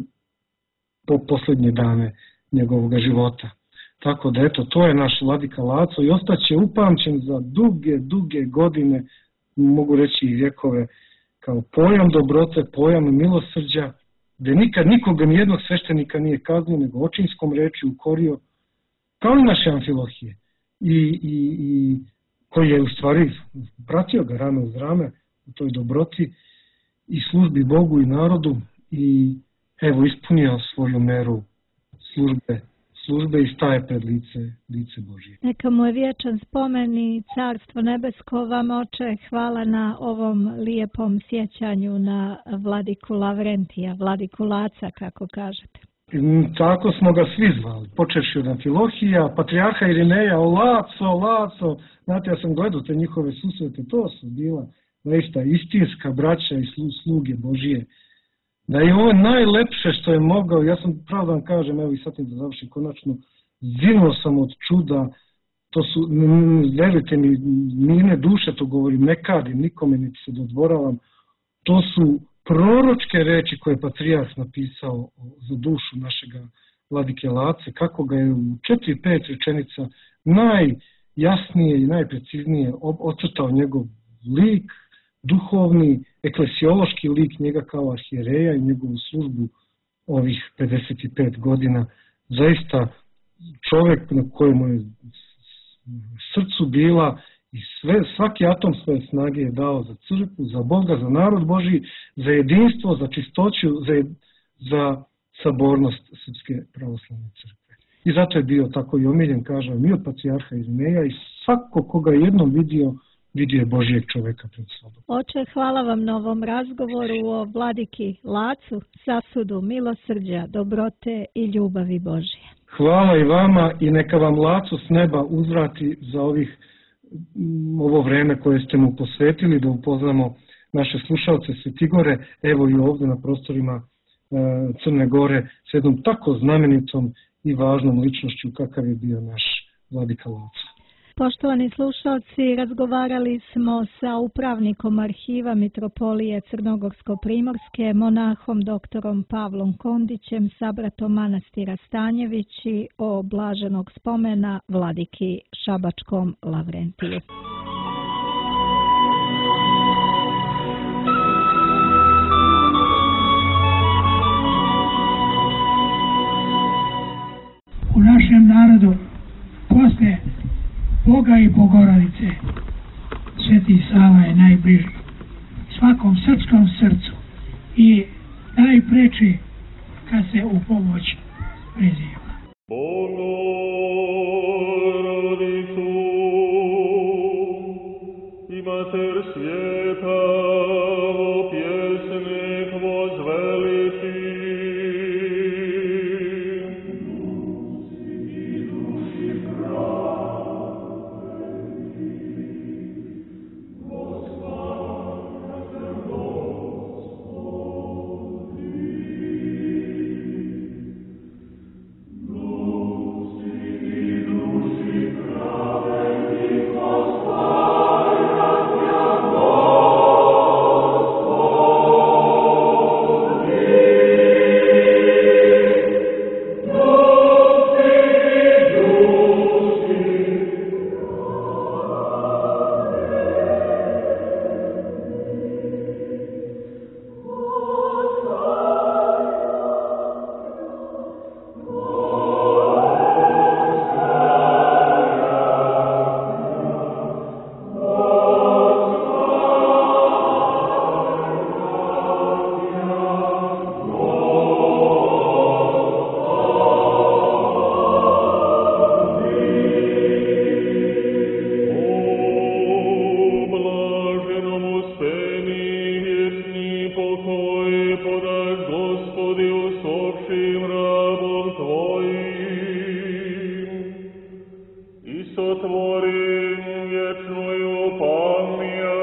posljednje dane njegovog života. Tako da eto, to je naš vladika Laco i ostaće upamćen za duge godine, mogu reći i vjekove, kao pojam dobrote, pojam milosrđa, gdje nikad nikoga, nijednog sveštenika nije kaznio, nego očinskom reči ukorio, kao i naše Amfilohije, i koji je u stvari pratio ga rame uz rame u toj dobroti i službi Bogu i narodu, i evo ispunio svoju meru službe i staje pred lice Božje. Neka mu je vječan spomen i Carstvo nebesko vam, oče. Hvala na ovom lijepom sjećanju na vladiku Lavrentija, vladiku Laca, kako kažete. Tako smo ga svi zvali, počevši od Amfilohija, patrijarha Irineja, Laco. Znate, ja sam gledao te njihove susrete, to su bila zaista istinska braća i sluge Božije. Da je ovo najlepše što je mogao, ja sam pravo da vam kažem, evo i sad da završim konačno, zinuo sam od čuda, to su, verujte mi, mirne duše, to govorim, ne kadim nikome, niti se dodvoravam, to su proročke reči koje je patrijarh napisao za dušu našega vladike Lace, kako ga je u 4-5 rečenica najjasnije i najpreciznije ocrtao njegov lik, duhovni, eklesiološki lik njega kao arhijereja i njegovu službu ovih 55 godina. Zaista čovjek na kojemu je srcu bila i svaki atom svoje snage je dao za crkvu, za Boga, za narod Božji, za jedinstvo, za čistoću, za sabornost Srpske pravoslavne crkve. I zato je bio tako i omiljen, kažem, i od patrijarha Irineja, i svako koga je jednom vidio je Božijeg čoveka pred sobom. Oče, hvala vam na ovom razgovoru o vladiki Lacu, sasudu milosrđa, dobrote i ljubavi Božije. Hvala i vama, i neka vam Laco s neba uzvrati za ovo vreme koje ste mu posvetili, da upoznamo naše slušalce Svetigore, evo i ovdje na prostorima Crne Gore, s jednom tako znamenitom i važnom ličnošću kakav je bio naš vladika Laco. Poštovani slušalci, razgovarali smo sa upravnikom arhiva Mitropolije Crnogorsko-Primorske, monahom doktorom Pavlom Kondićem, sabratom manastira Stanjevići, o blaženog spomena vladiki Šabačkom Lavrentiju. U našem narodu posle Boga i Bogorodice Sveti Sava je najbliži svakom srpskom srcu i najpreči kad se u pomoć priziva. Bogorodicu i Mater svijeta, o pjesnik vozveliti. Gospodi, usopšim rabom Tvojim i sotvorim vječnoju pamijat.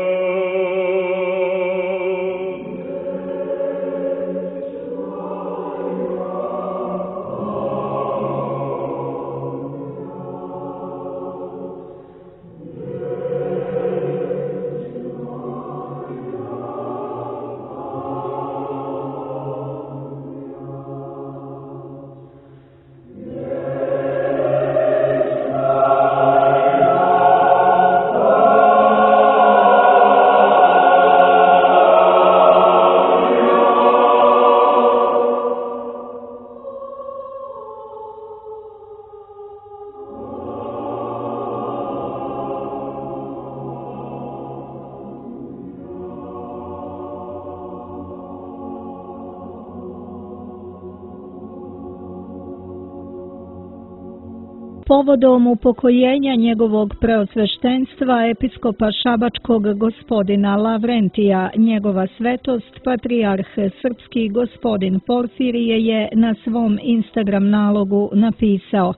Povodom upokojenja njegovog preosveštenstva episkopa Šabačkog gospodina Lavrentija, njegova svetost patrijarh srpski gospodin Porfirije je na svom Instagram nalogu napisao: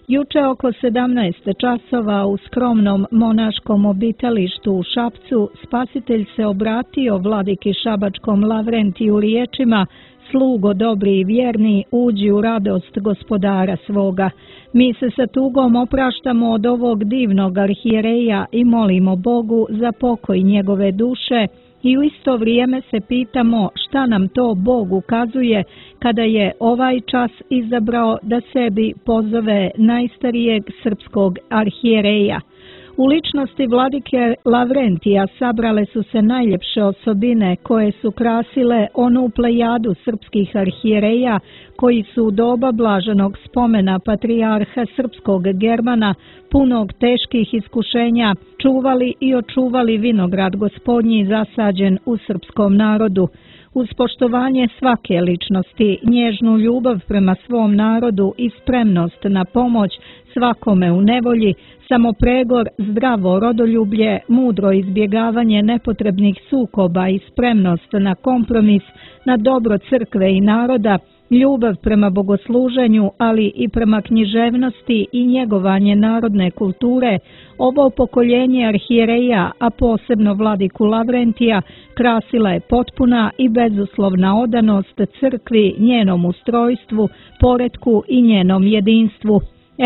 Juče oko 17 časova u skromnom monaškom obitalištu u Šapcu spasitelj se obratio vladiki Šabačkom Lavrentiju riječima: Slugo dobri i vjerni, uđi u radost gospodara svoga. Mi se sa tugom opraštamo od ovog divnog arhijereja i molimo Bogu za pokoj njegove duše i u isto vrijeme se pitamo šta nam to Bog ukazuje kada je ovaj čas izabrao da sebi pozove najstarijeg srpskog arhijereja. U ličnosti vladike Lavrentija sabrale su se najljepše osobine koje su krasile onu plejadu srpskih arhijereja koji su u doba blaženog spomena patrijarha srpskog Germana, punog teških iskušenja, čuvali i očuvali vinograd gospodnji zasađen u srpskom narodu. Uz poštovanje svake ličnosti, nježnu ljubav prema svom narodu i spremnost na pomoć svakome u nevolji, samopregor, zdravo rodoljublje, mudro izbjegavanje nepotrebnih sukoba i spremnost na kompromis, na dobro crkve i naroda, ljubav prema bogosluženju, ali i prema književnosti i njegovanje narodne kulture, ovo pokoljenje arhijereja, a posebno vladiku Lavrentija, krasila je potpuna i bezuslovna odanost crkvi, njenom ustrojstvu, poretku i njenom jedinstvu.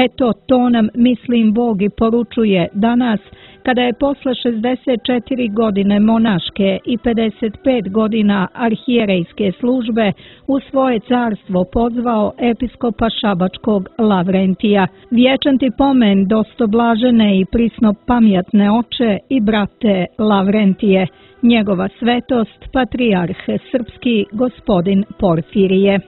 Eto, to nam, mislim, Bog i poručuje danas, kada je posle 64 godine monaške i 55 godina arhijerejske službe u svoje carstvo pozvao episkopa Šabačkog Lavrentija. Vječan ti pomen, dostoblažene i prisno pamjatne oče i brate Lavrentije, njegova svetost, patrijarh srpski gospodin Porfirije.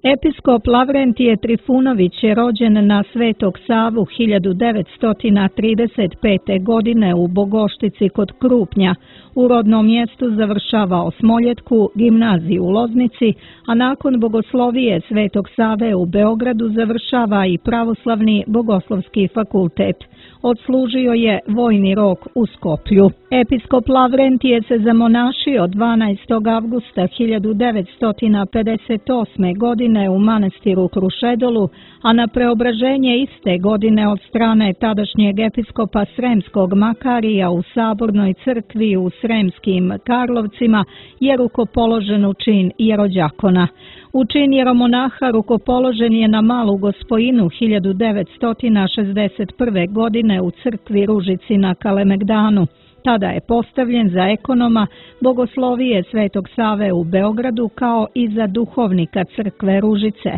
Episkop Lavrentije Trifunović je rođen na Svetog Savu 1935. godine u Bogoštici kod Krupnja. U rodnom mjestu završava osmoljetku, gimnaziju u Loznici, a nakon bogoslovije Svetog Save u Beogradu završava i pravoslavni bogoslovski fakultet. Odslužio je vojni rok u Skoplju. Episkop Lavrentije se zamonašio 12. avgusta 1958. godine u manastiru Krušedolu, a na preobraženje iste godine od strane tadašnjeg episkopa Sremskog Makarija u Sabornoj crkvi u Sremskim Karlovcima je rukopoložen u čin jerođakona. U čin jeromonaha rukopoložen je na Malu Gospojinu 1961. godine u crkvi Ružici na Kalemegdanu. Tada je postavljen za ekonoma bogoslovije Svetog Save u Beogradu kao i za duhovnika crkve Ružice.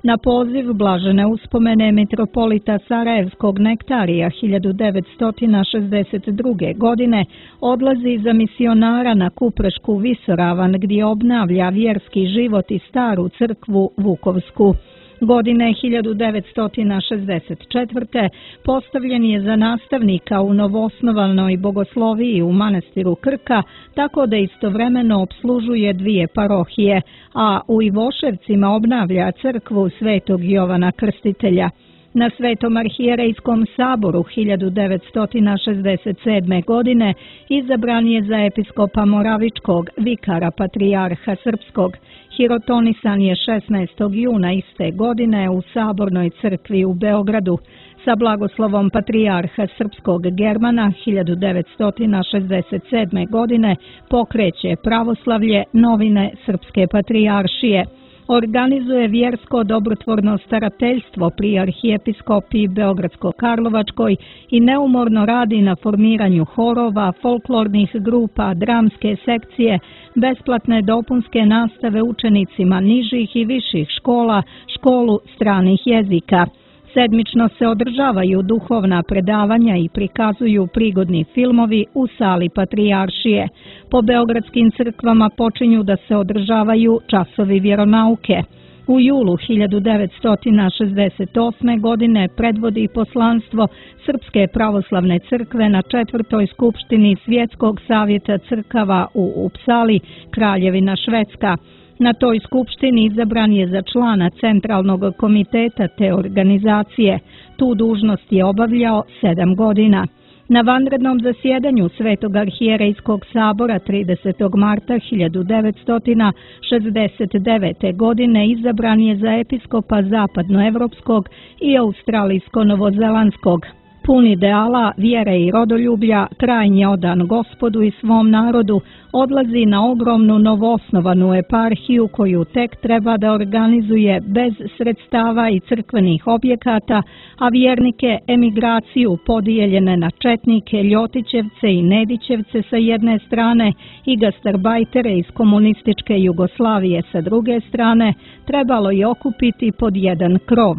Na poziv blažene uspomene mitropolita Sarajevskog Nektarija 1962. godine odlazi za misionara na Kuprešku visoravan gdje obnavlja vjerski život i staru crkvu Vukovsku. Godine 1964. postavljen je za nastavnika u novoosnovanoj bogosloviji u manastiru Krka, tako da istovremeno opslužuje dvije parohije, a u Ivoševcima obnavlja crkvu Svetog Jovana Krstitelja. Na Svetom arhijerejskom saboru 1967. godine izabran je za episkopa Moravičkog, vikara patrijarha srpskog. Hirotonisan je 16. juna iste godine u Sabornoj crkvi u Beogradu. Sa blagoslovom patrijarha srpskog Germana 1967. godine pokreće pravoslavlje Novine Srpske patrijaršije. Organizuje vjersko dobrotvorno starateljstvo pri arhijepiskopiji Beogradsko-Karlovačkoj i neumorno radi na formiranju horova, folklornih grupa, dramske sekcije, besplatne dopunske nastave učenicima nižih i viših škola, školu stranih jezika. Sedmično se održavaju duhovna predavanja i prikazuju prigodni filmovi u sali Patrijaršije. Po beogradskim crkvama počinju da se održavaju časovi vjeronauke. U julu 1968. godine predvodi poslanstvo Srpske pravoslavne crkve na 4. skupštini Svjetskog savjeta crkava u Upsali, Kraljevina Švedska. Na toj skupštini izabran je za člana centralnog komiteta te organizacije. Tu dužnost je obavljao 7 godina. Na vanrednom zasjedanju Svetog arhijerejskog sabora 30. marta 1969. godine izabran je za episkopa zapadnoevropskog i australijsko-novozelandskog. Pun ideala, vjere i rodoljublja, krajnje odan Gospodu i svom narodu, odlazi na ogromnu novoosnovanu eparhiju koju tek treba da organizuje bez sredstava i crkvenih objekata, a vjernike emigraciju podijeljene na četnike, Ljotićevce i Nedićevce sa jedne strane i gastarbajtere iz komunističke Jugoslavije sa druge strane, trebalo je okupiti pod jedan krov.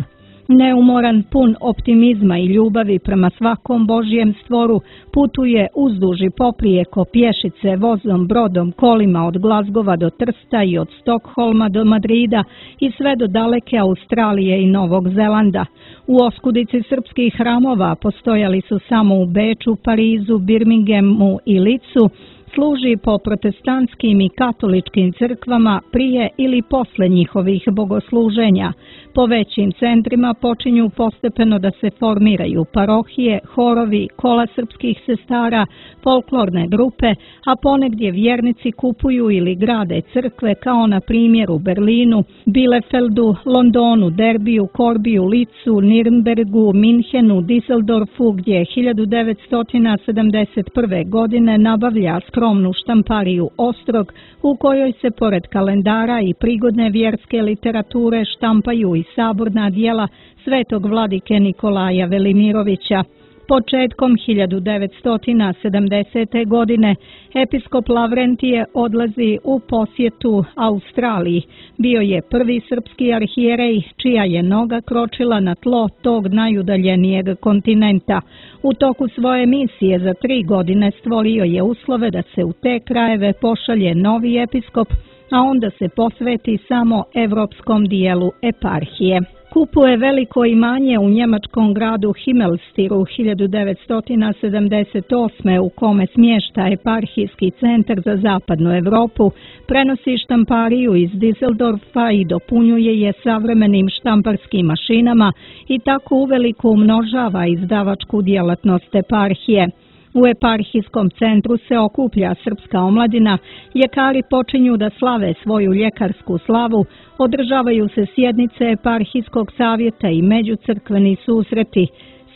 Neumoran, pun optimizma i ljubavi prema svakom Božjem stvoru, putuje uzduž i poprijeko pješice, vozom, brodom, kolima od Glazgova do Trsta i od Stokholma do Madrida i sve do daleke Australije i Novog Zelanda. U oskudici srpskih hramova postojali su samo u Beču, Parizu, Birminghamu i Licu, služi po protestantskim i katoličkim crkvama prije ili posle njihovih bogosluženja. Po većim centrima počinju postepeno da se formiraju parohije, horovi, kola srpskih sestara, folklorne grupe, a ponegdje vjernici kupuju ili grade crkve kao na primjer u Berlinu, Bielefeldu, Londonu, Derbiju, Korbiju, Licu, Nirnbergu, Minhenu, Düsseldorfu, gdje 1971. godine nabavlja skromnu štampariju Ostrog, u kojoj se pored kalendara i prigodne vjerske literature štampaju i saborna djela svetog vladike Nikolaja Velimirovića. Početkom 1970. godine episkop Lavrentije odlazi u posjetu Australiji. Bio je prvi srpski arhijerej čija je noga kročila na tlo tog najudaljenijeg kontinenta. U toku svoje misije za 3 godine stvorio je uslove da se u te krajeve pošalje novi episkop, a onda se posveti samo evropskom dijelu eparhije. Kupuje veliko imanje u njemačkom gradu Himmelstiru 1978. u kome smješta eparhijski centar za zapadnu Evropu, prenosi štampariju iz Düsseldorfa i dopunjuje je savremenim štamparskim mašinama i tako uveliko umnožava izdavačku djelatnost eparhije. U eparhijskom centru se okuplja srpska omladina, ljekari počinju da slave svoju ljekarsku slavu, održavaju se sjednice eparhijskog savjeta i međucrkveni susreti,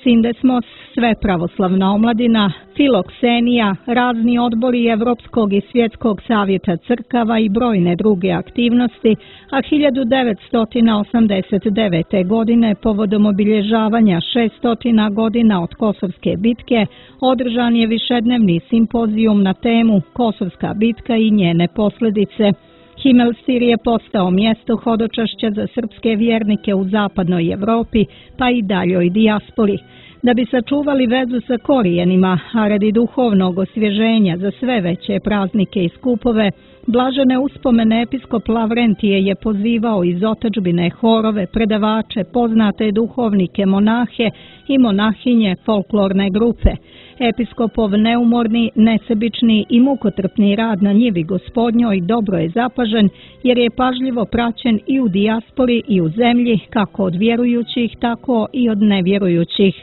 Sindesmos, sve pravoslavna omladina, Filoksenija, razni odbori Evropskog i Svjetskog savjeta crkava i brojne druge aktivnosti, a 1989. godine povodom obilježavanja 600 godina od Kosovske bitke održan je višednevni simpozijum na temu Kosovska bitka i njene posljedice. Himmelstir je postao mjesto hodočašća za srpske vjernike u zapadnoj Evropi, pa i daljoj dijaspori. Da bi sačuvali vezu sa korijenima, a radi duhovnog osvježenja za sve veće praznike i skupove, blažene uspomene episkop Lavrentije je pozivao iz otadžbine horove, predavače, poznate duhovnike, monahe i monahinje folklorne grupe. Episkopov neumorni, nesebični i mukotrpni rad na njivi Gospodnjoj dobro je zapažen, jer je pažljivo praćen i u dijaspori i u zemlji, kako od vjerujućih, tako i od nevjerujućih.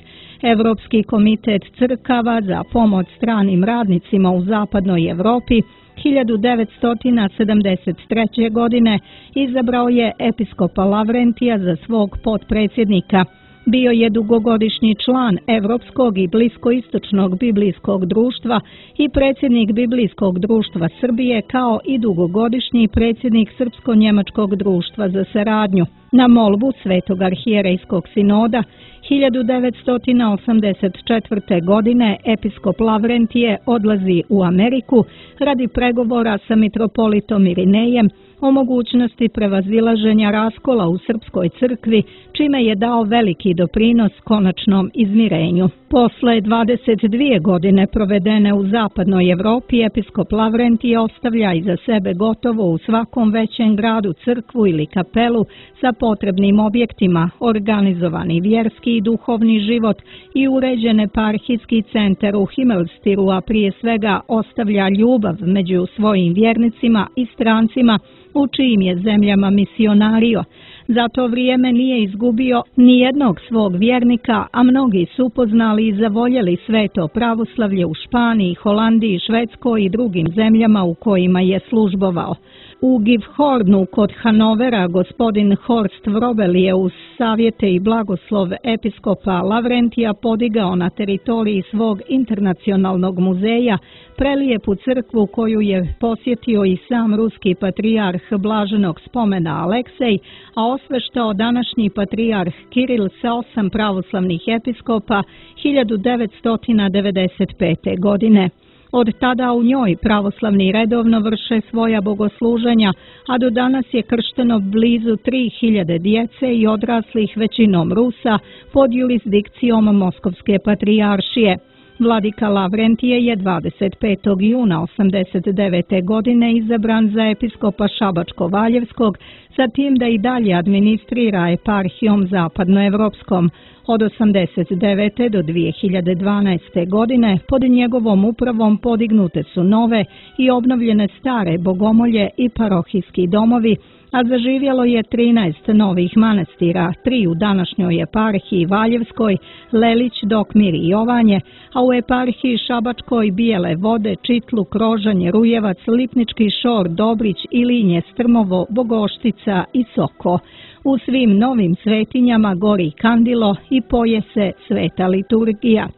Evropski komitet crkava za pomoć stranim radnicima u zapadnoj Evropi 1973. godine izabrao je episkopa Lavrentija za svog potpredsjednika. Bio je dugogodišnji član Evropskog i Bliskoistočnog biblijskog društva i predsjednik Biblijskog društva Srbije, kao i dugogodišnji predsjednik Srpsko-njemačkog društva za saradnju. Na molbu Svetog arhijerejskog sinoda 1984. godine episkop Lavrentije odlazi u Ameriku radi pregovora sa mitropolitom Irinejem o mogućnosti prevazilaženja raskola u Srpskoj crkvi, čime je dao veliki doprinos konačnom izmirenju. Posle 22 godine provedene u zapadnoj Evropi, episkop Lavrentije ostavlja iza sebe gotovo u svakom većem gradu crkvu ili kapelu sa potrebnim objektima, organizovani vjerski i duhovni život i uređen eparhijski centar u Himmelstiru, a prije svega ostavlja ljubav među svojim vjernicima i strancima u čijim je zemljama misionario. Za to vrijeme nije izgubio ni jednog svog vjernika, a mnogi su upoznali i zavoljeli sveto pravoslavlje u Španiji, Holandiji, Švedskoj i drugim zemljama u kojima je službovao. U Gifhornu kod Hanovera gospodin Horst Vrobel je uz savjete i blagoslov episkopa Lavrentija podigao na teritoriji svog internacionalnog muzeja prelijepu crkvu koju je posjetio i sam ruski patrijarh blaženog spomena Aleksej, a osveštao današnji patrijarh Kiril sa 8 pravoslavnih episkopa 1995. godine. Od tada u njoj pravoslavni redovno vrše svoja bogosluženja, a do danas je kršteno blizu 3000 djece i odraslih, većinom Rusa, pod jurisdikcijom Moskovske patrijaršije. Vladika Lavrentije je 25. juna 1989. godine izabran za episkopa Šabačko-Valjevskog, sa tim da i dalje administrira eparhijom zapadnoevropskom. Od 1989. do 2012. godine pod njegovom upravom podignute su nove i obnovljene stare bogomolje i parohijski domovi, a zaživjelo je 13 novih manastira, 3 u današnjoj eparhiji Valjevskoj, Lelić, Dokmir i Jovanje, a u eparhiji Šabačkoj Bijele Vode, Čitluk, Rožanje, Rujevac, Lipnički Šor, Dobrić, Ilinje, Strmovo, Bogoštica i Soko. U svim novim svetinjama gori kandilo i poje se sveta liturgija.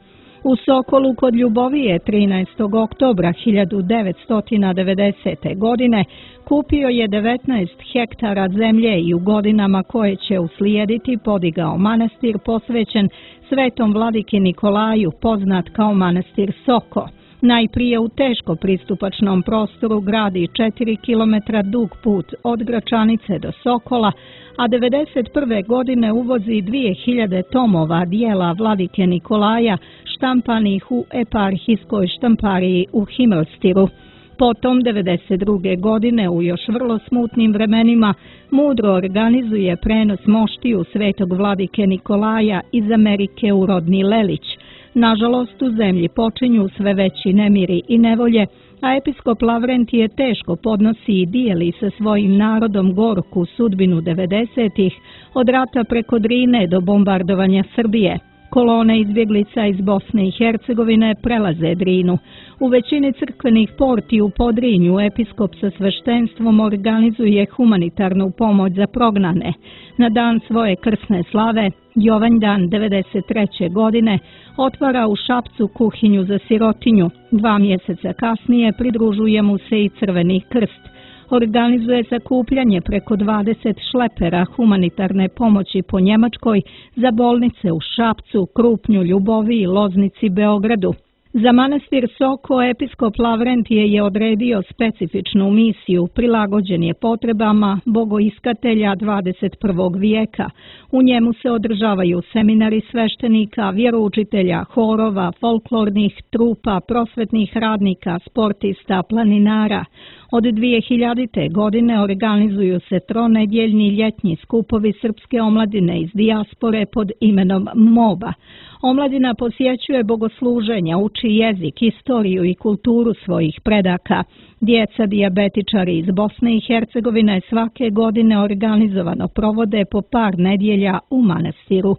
U Sokolu kod Ljubovije 13. oktobra 1990. godine kupio je 19 hektara zemlje i u godinama koje će uslijediti podigao manastir posvećen svetom vladiki Nikolaju, poznat kao manastir Soko. Najprije u teško pristupačnom prostoru gradi 4 km dug put od Gračanice do Sokola, a 1991. godine uvozi 2000 tomova dijela vladike Nikolaja štampanih u eparhijskoj štampariji u Himmelstiru. Potom 1992. godine u još vrlo smutnim vremenima mudro organizuje prenos moštiju svetog vladike Nikolaja iz Amerike u rodni Lelić. Nažalost, u zemlji počinju sve veći nemiri i nevolje, a episkop Lavrentije teško podnosi i dijeli sa svojim narodom gorku sudbinu 90-ih, od rata preko Drine do bombardovanja Srbije. Kolone izbjeglica iz Bosne i Hercegovine prelaze Drinu. U većini crkvenih porti u Podrinju episkop sa sveštenstvom organizuje humanitarnu pomoć za prognane. Na dan svoje krsne slave, Jovanjdan 93. godine, otvara u Šapcu kuhinju za sirotinju. 2 mjeseca kasnije pridružuje mu se i Crveni krst. Organizuje sakupljanje preko 20 šlepera humanitarne pomoći po Njemačkoj za bolnice u Šapcu, Krupnju, Ljuboviji, Loznici, Beogradu. Za manastir Soko episkop Lavrentije je odredio specifičnu misiju, prilagođen je potrebama bogoiskatelja 21. vijeka. U njemu se održavaju seminari sveštenika, vjeroučitelja, horova, folklornih trupa, prosvetnih radnika, sportista, planinara. Od 2000. godine organizuju se tronedjeljni ljetni skupovi srpske omladine iz dijaspore pod imenom MOBA. Omladina posjećuje bogosluženja, uči jezik, istoriju i kulturu svojih predaka. Djeca dijabetičari iz Bosne i Hercegovine svake godine organizovano provode po par nedjelja u manastiru.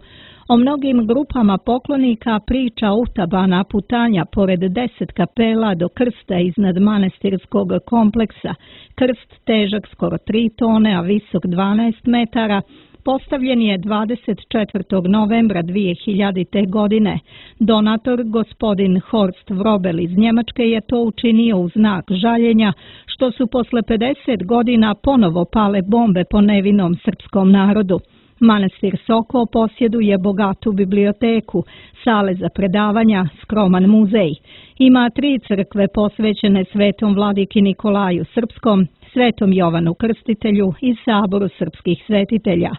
O mnogim grupama poklonika priča utabana putanja pored 10 kapela do krsta iznad manastirskog kompleksa. Krst težak skoro 3 tone, a visok 12 metara, postavljen je 24. novembra 2000. godine. Donator, gospodin Horst Vrobel iz Njemačke, je to učinio u znak žaljenja što su posle 50 godina ponovo pale bombe po nevinom srpskom narodu. Manastir Soko posjeduje bogatu biblioteku, sale za predavanja, skroman muzej. Ima 3 crkve posvećene svetom vladiki Nikolaju Srpskom, svetom Jovanu Krstitelju i saboru srpskih svetitelja.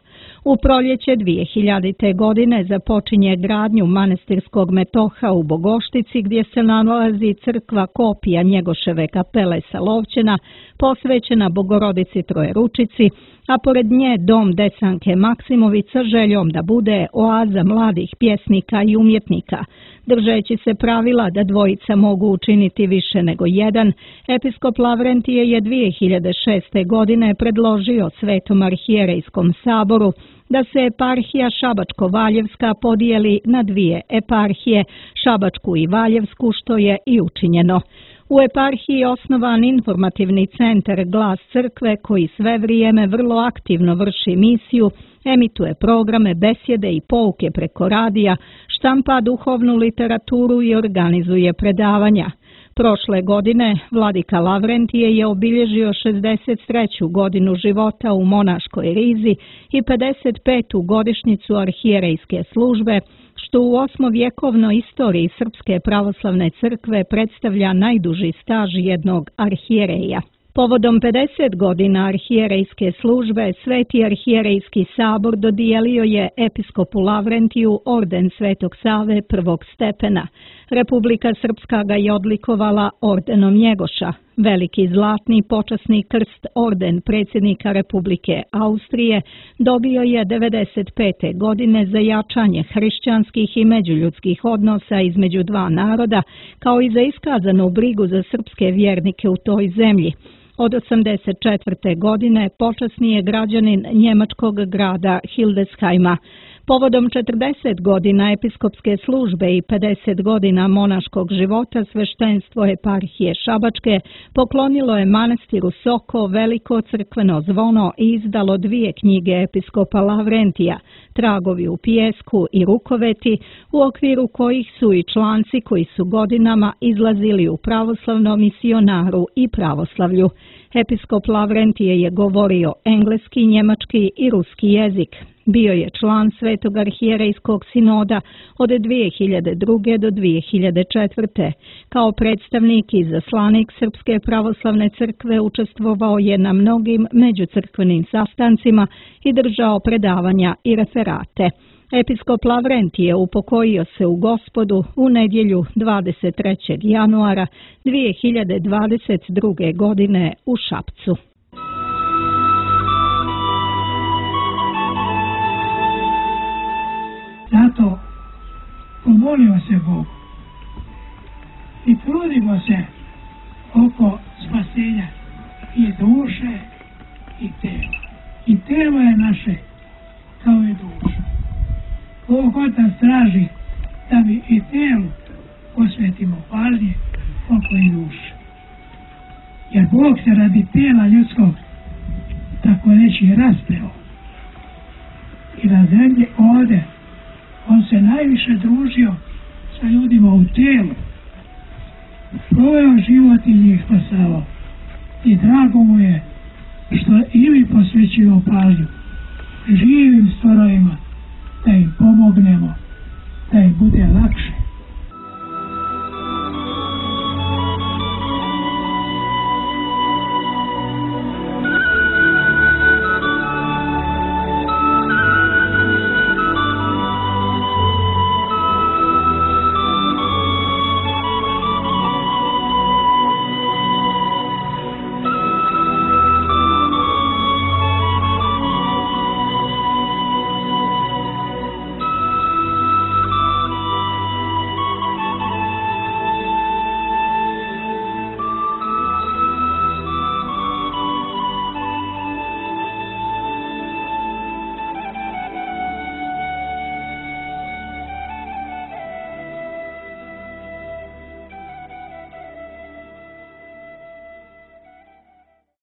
U proljeće 2000. godine započinje gradnju manastirskog metoha u Bogoštici, gdje se nalazi crkva kopija Njegoševe kapele sa Lovćena, posvećena Bogorodici Trojeručici, a pored nje dom Desanke Maksimović sa željom da bude oaza mladih pjesnika i umjetnika. Držeći se pravila da dvojica mogu učiniti više nego jedan, episkop Lavrentije je 2006. godine predložio Svetom arhijerejskom saboru da se eparhija Šabačko-Valjevska podijeli na 2 eparhije, Šabačku i Valjevsku, što je i učinjeno. U eparhiji je osnovan informativni centar Glas crkve koji sve vrijeme vrlo aktivno vrši misiju, emituje programe, besjede i pouke preko radija, štampa duhovnu literaturu i organizuje predavanja. Prošle godine vladika Lavrentije je obilježio 63. godinu života u monaškoj rizi i 55. godišnjicu arhijerejske službe, što u 8-vjekovnoj istoriji Srpske pravoslavne crkve predstavlja najduži staž jednog arhijereja. Povodom 50 godina arhijerejske službe, Sveti arhijerejski sabor dodijelio je episkopu Lavrentiju orden Svetog Save prvog stepena. Republika Srpska ga je odlikovala ordenom Njegoša. Veliki zlatni počasni krst orden predsjednika Republike Austrije dobio je 95. godine za jačanje hrišćanskih i međuljudskih odnosa između 2 naroda, kao i za iskazanu brigu za srpske vjernike u toj zemlji. Od 1984. godine počasni je građanin njemačkog grada Hildesheima. Povodom 40 godina episkopske službe i 50 godina monaškog života sveštenstvo eparhije Šabačke poklonilo je manastiru Soko veliko crkveno zvono i izdalo 2 knjige episkopa Lavrentija, Tragovi u pijesku i Rukoveti, u okviru kojih su i članci koji su godinama izlazili u pravoslavnom misionaru i pravoslavlju. Episkop Lavrentije je govorio engleski, njemački i ruski jezik. Bio je član Svetog arhijerejskog sinoda od 2002. do 2004. Kao predstavnik i izaslanik Srpske pravoslavne crkve učestvovao je na mnogim međucrkvenim sastancima i držao predavanja i referate. Episkop Lavrentije upokojio se u Gospodu u nedjelju 23. januara 2022. godine u Šapcu. Zato pomolimo se Bogu i trudimo se oko spasenja i duše i tela. I telo je naše kao i duša. Bog Otac traži da mi i telu posvetimo pažnje oko i duše. Jer Bog se radi tela ljudskog tako reći raspeo. I na zemlji ovdje on se najviše družio sa ljudima u telu. Proveo život i njih spasavao. I drago mu je što i mi posvećujemo pažnju živim stvorovima, da im pomognemo, da im bude lakše.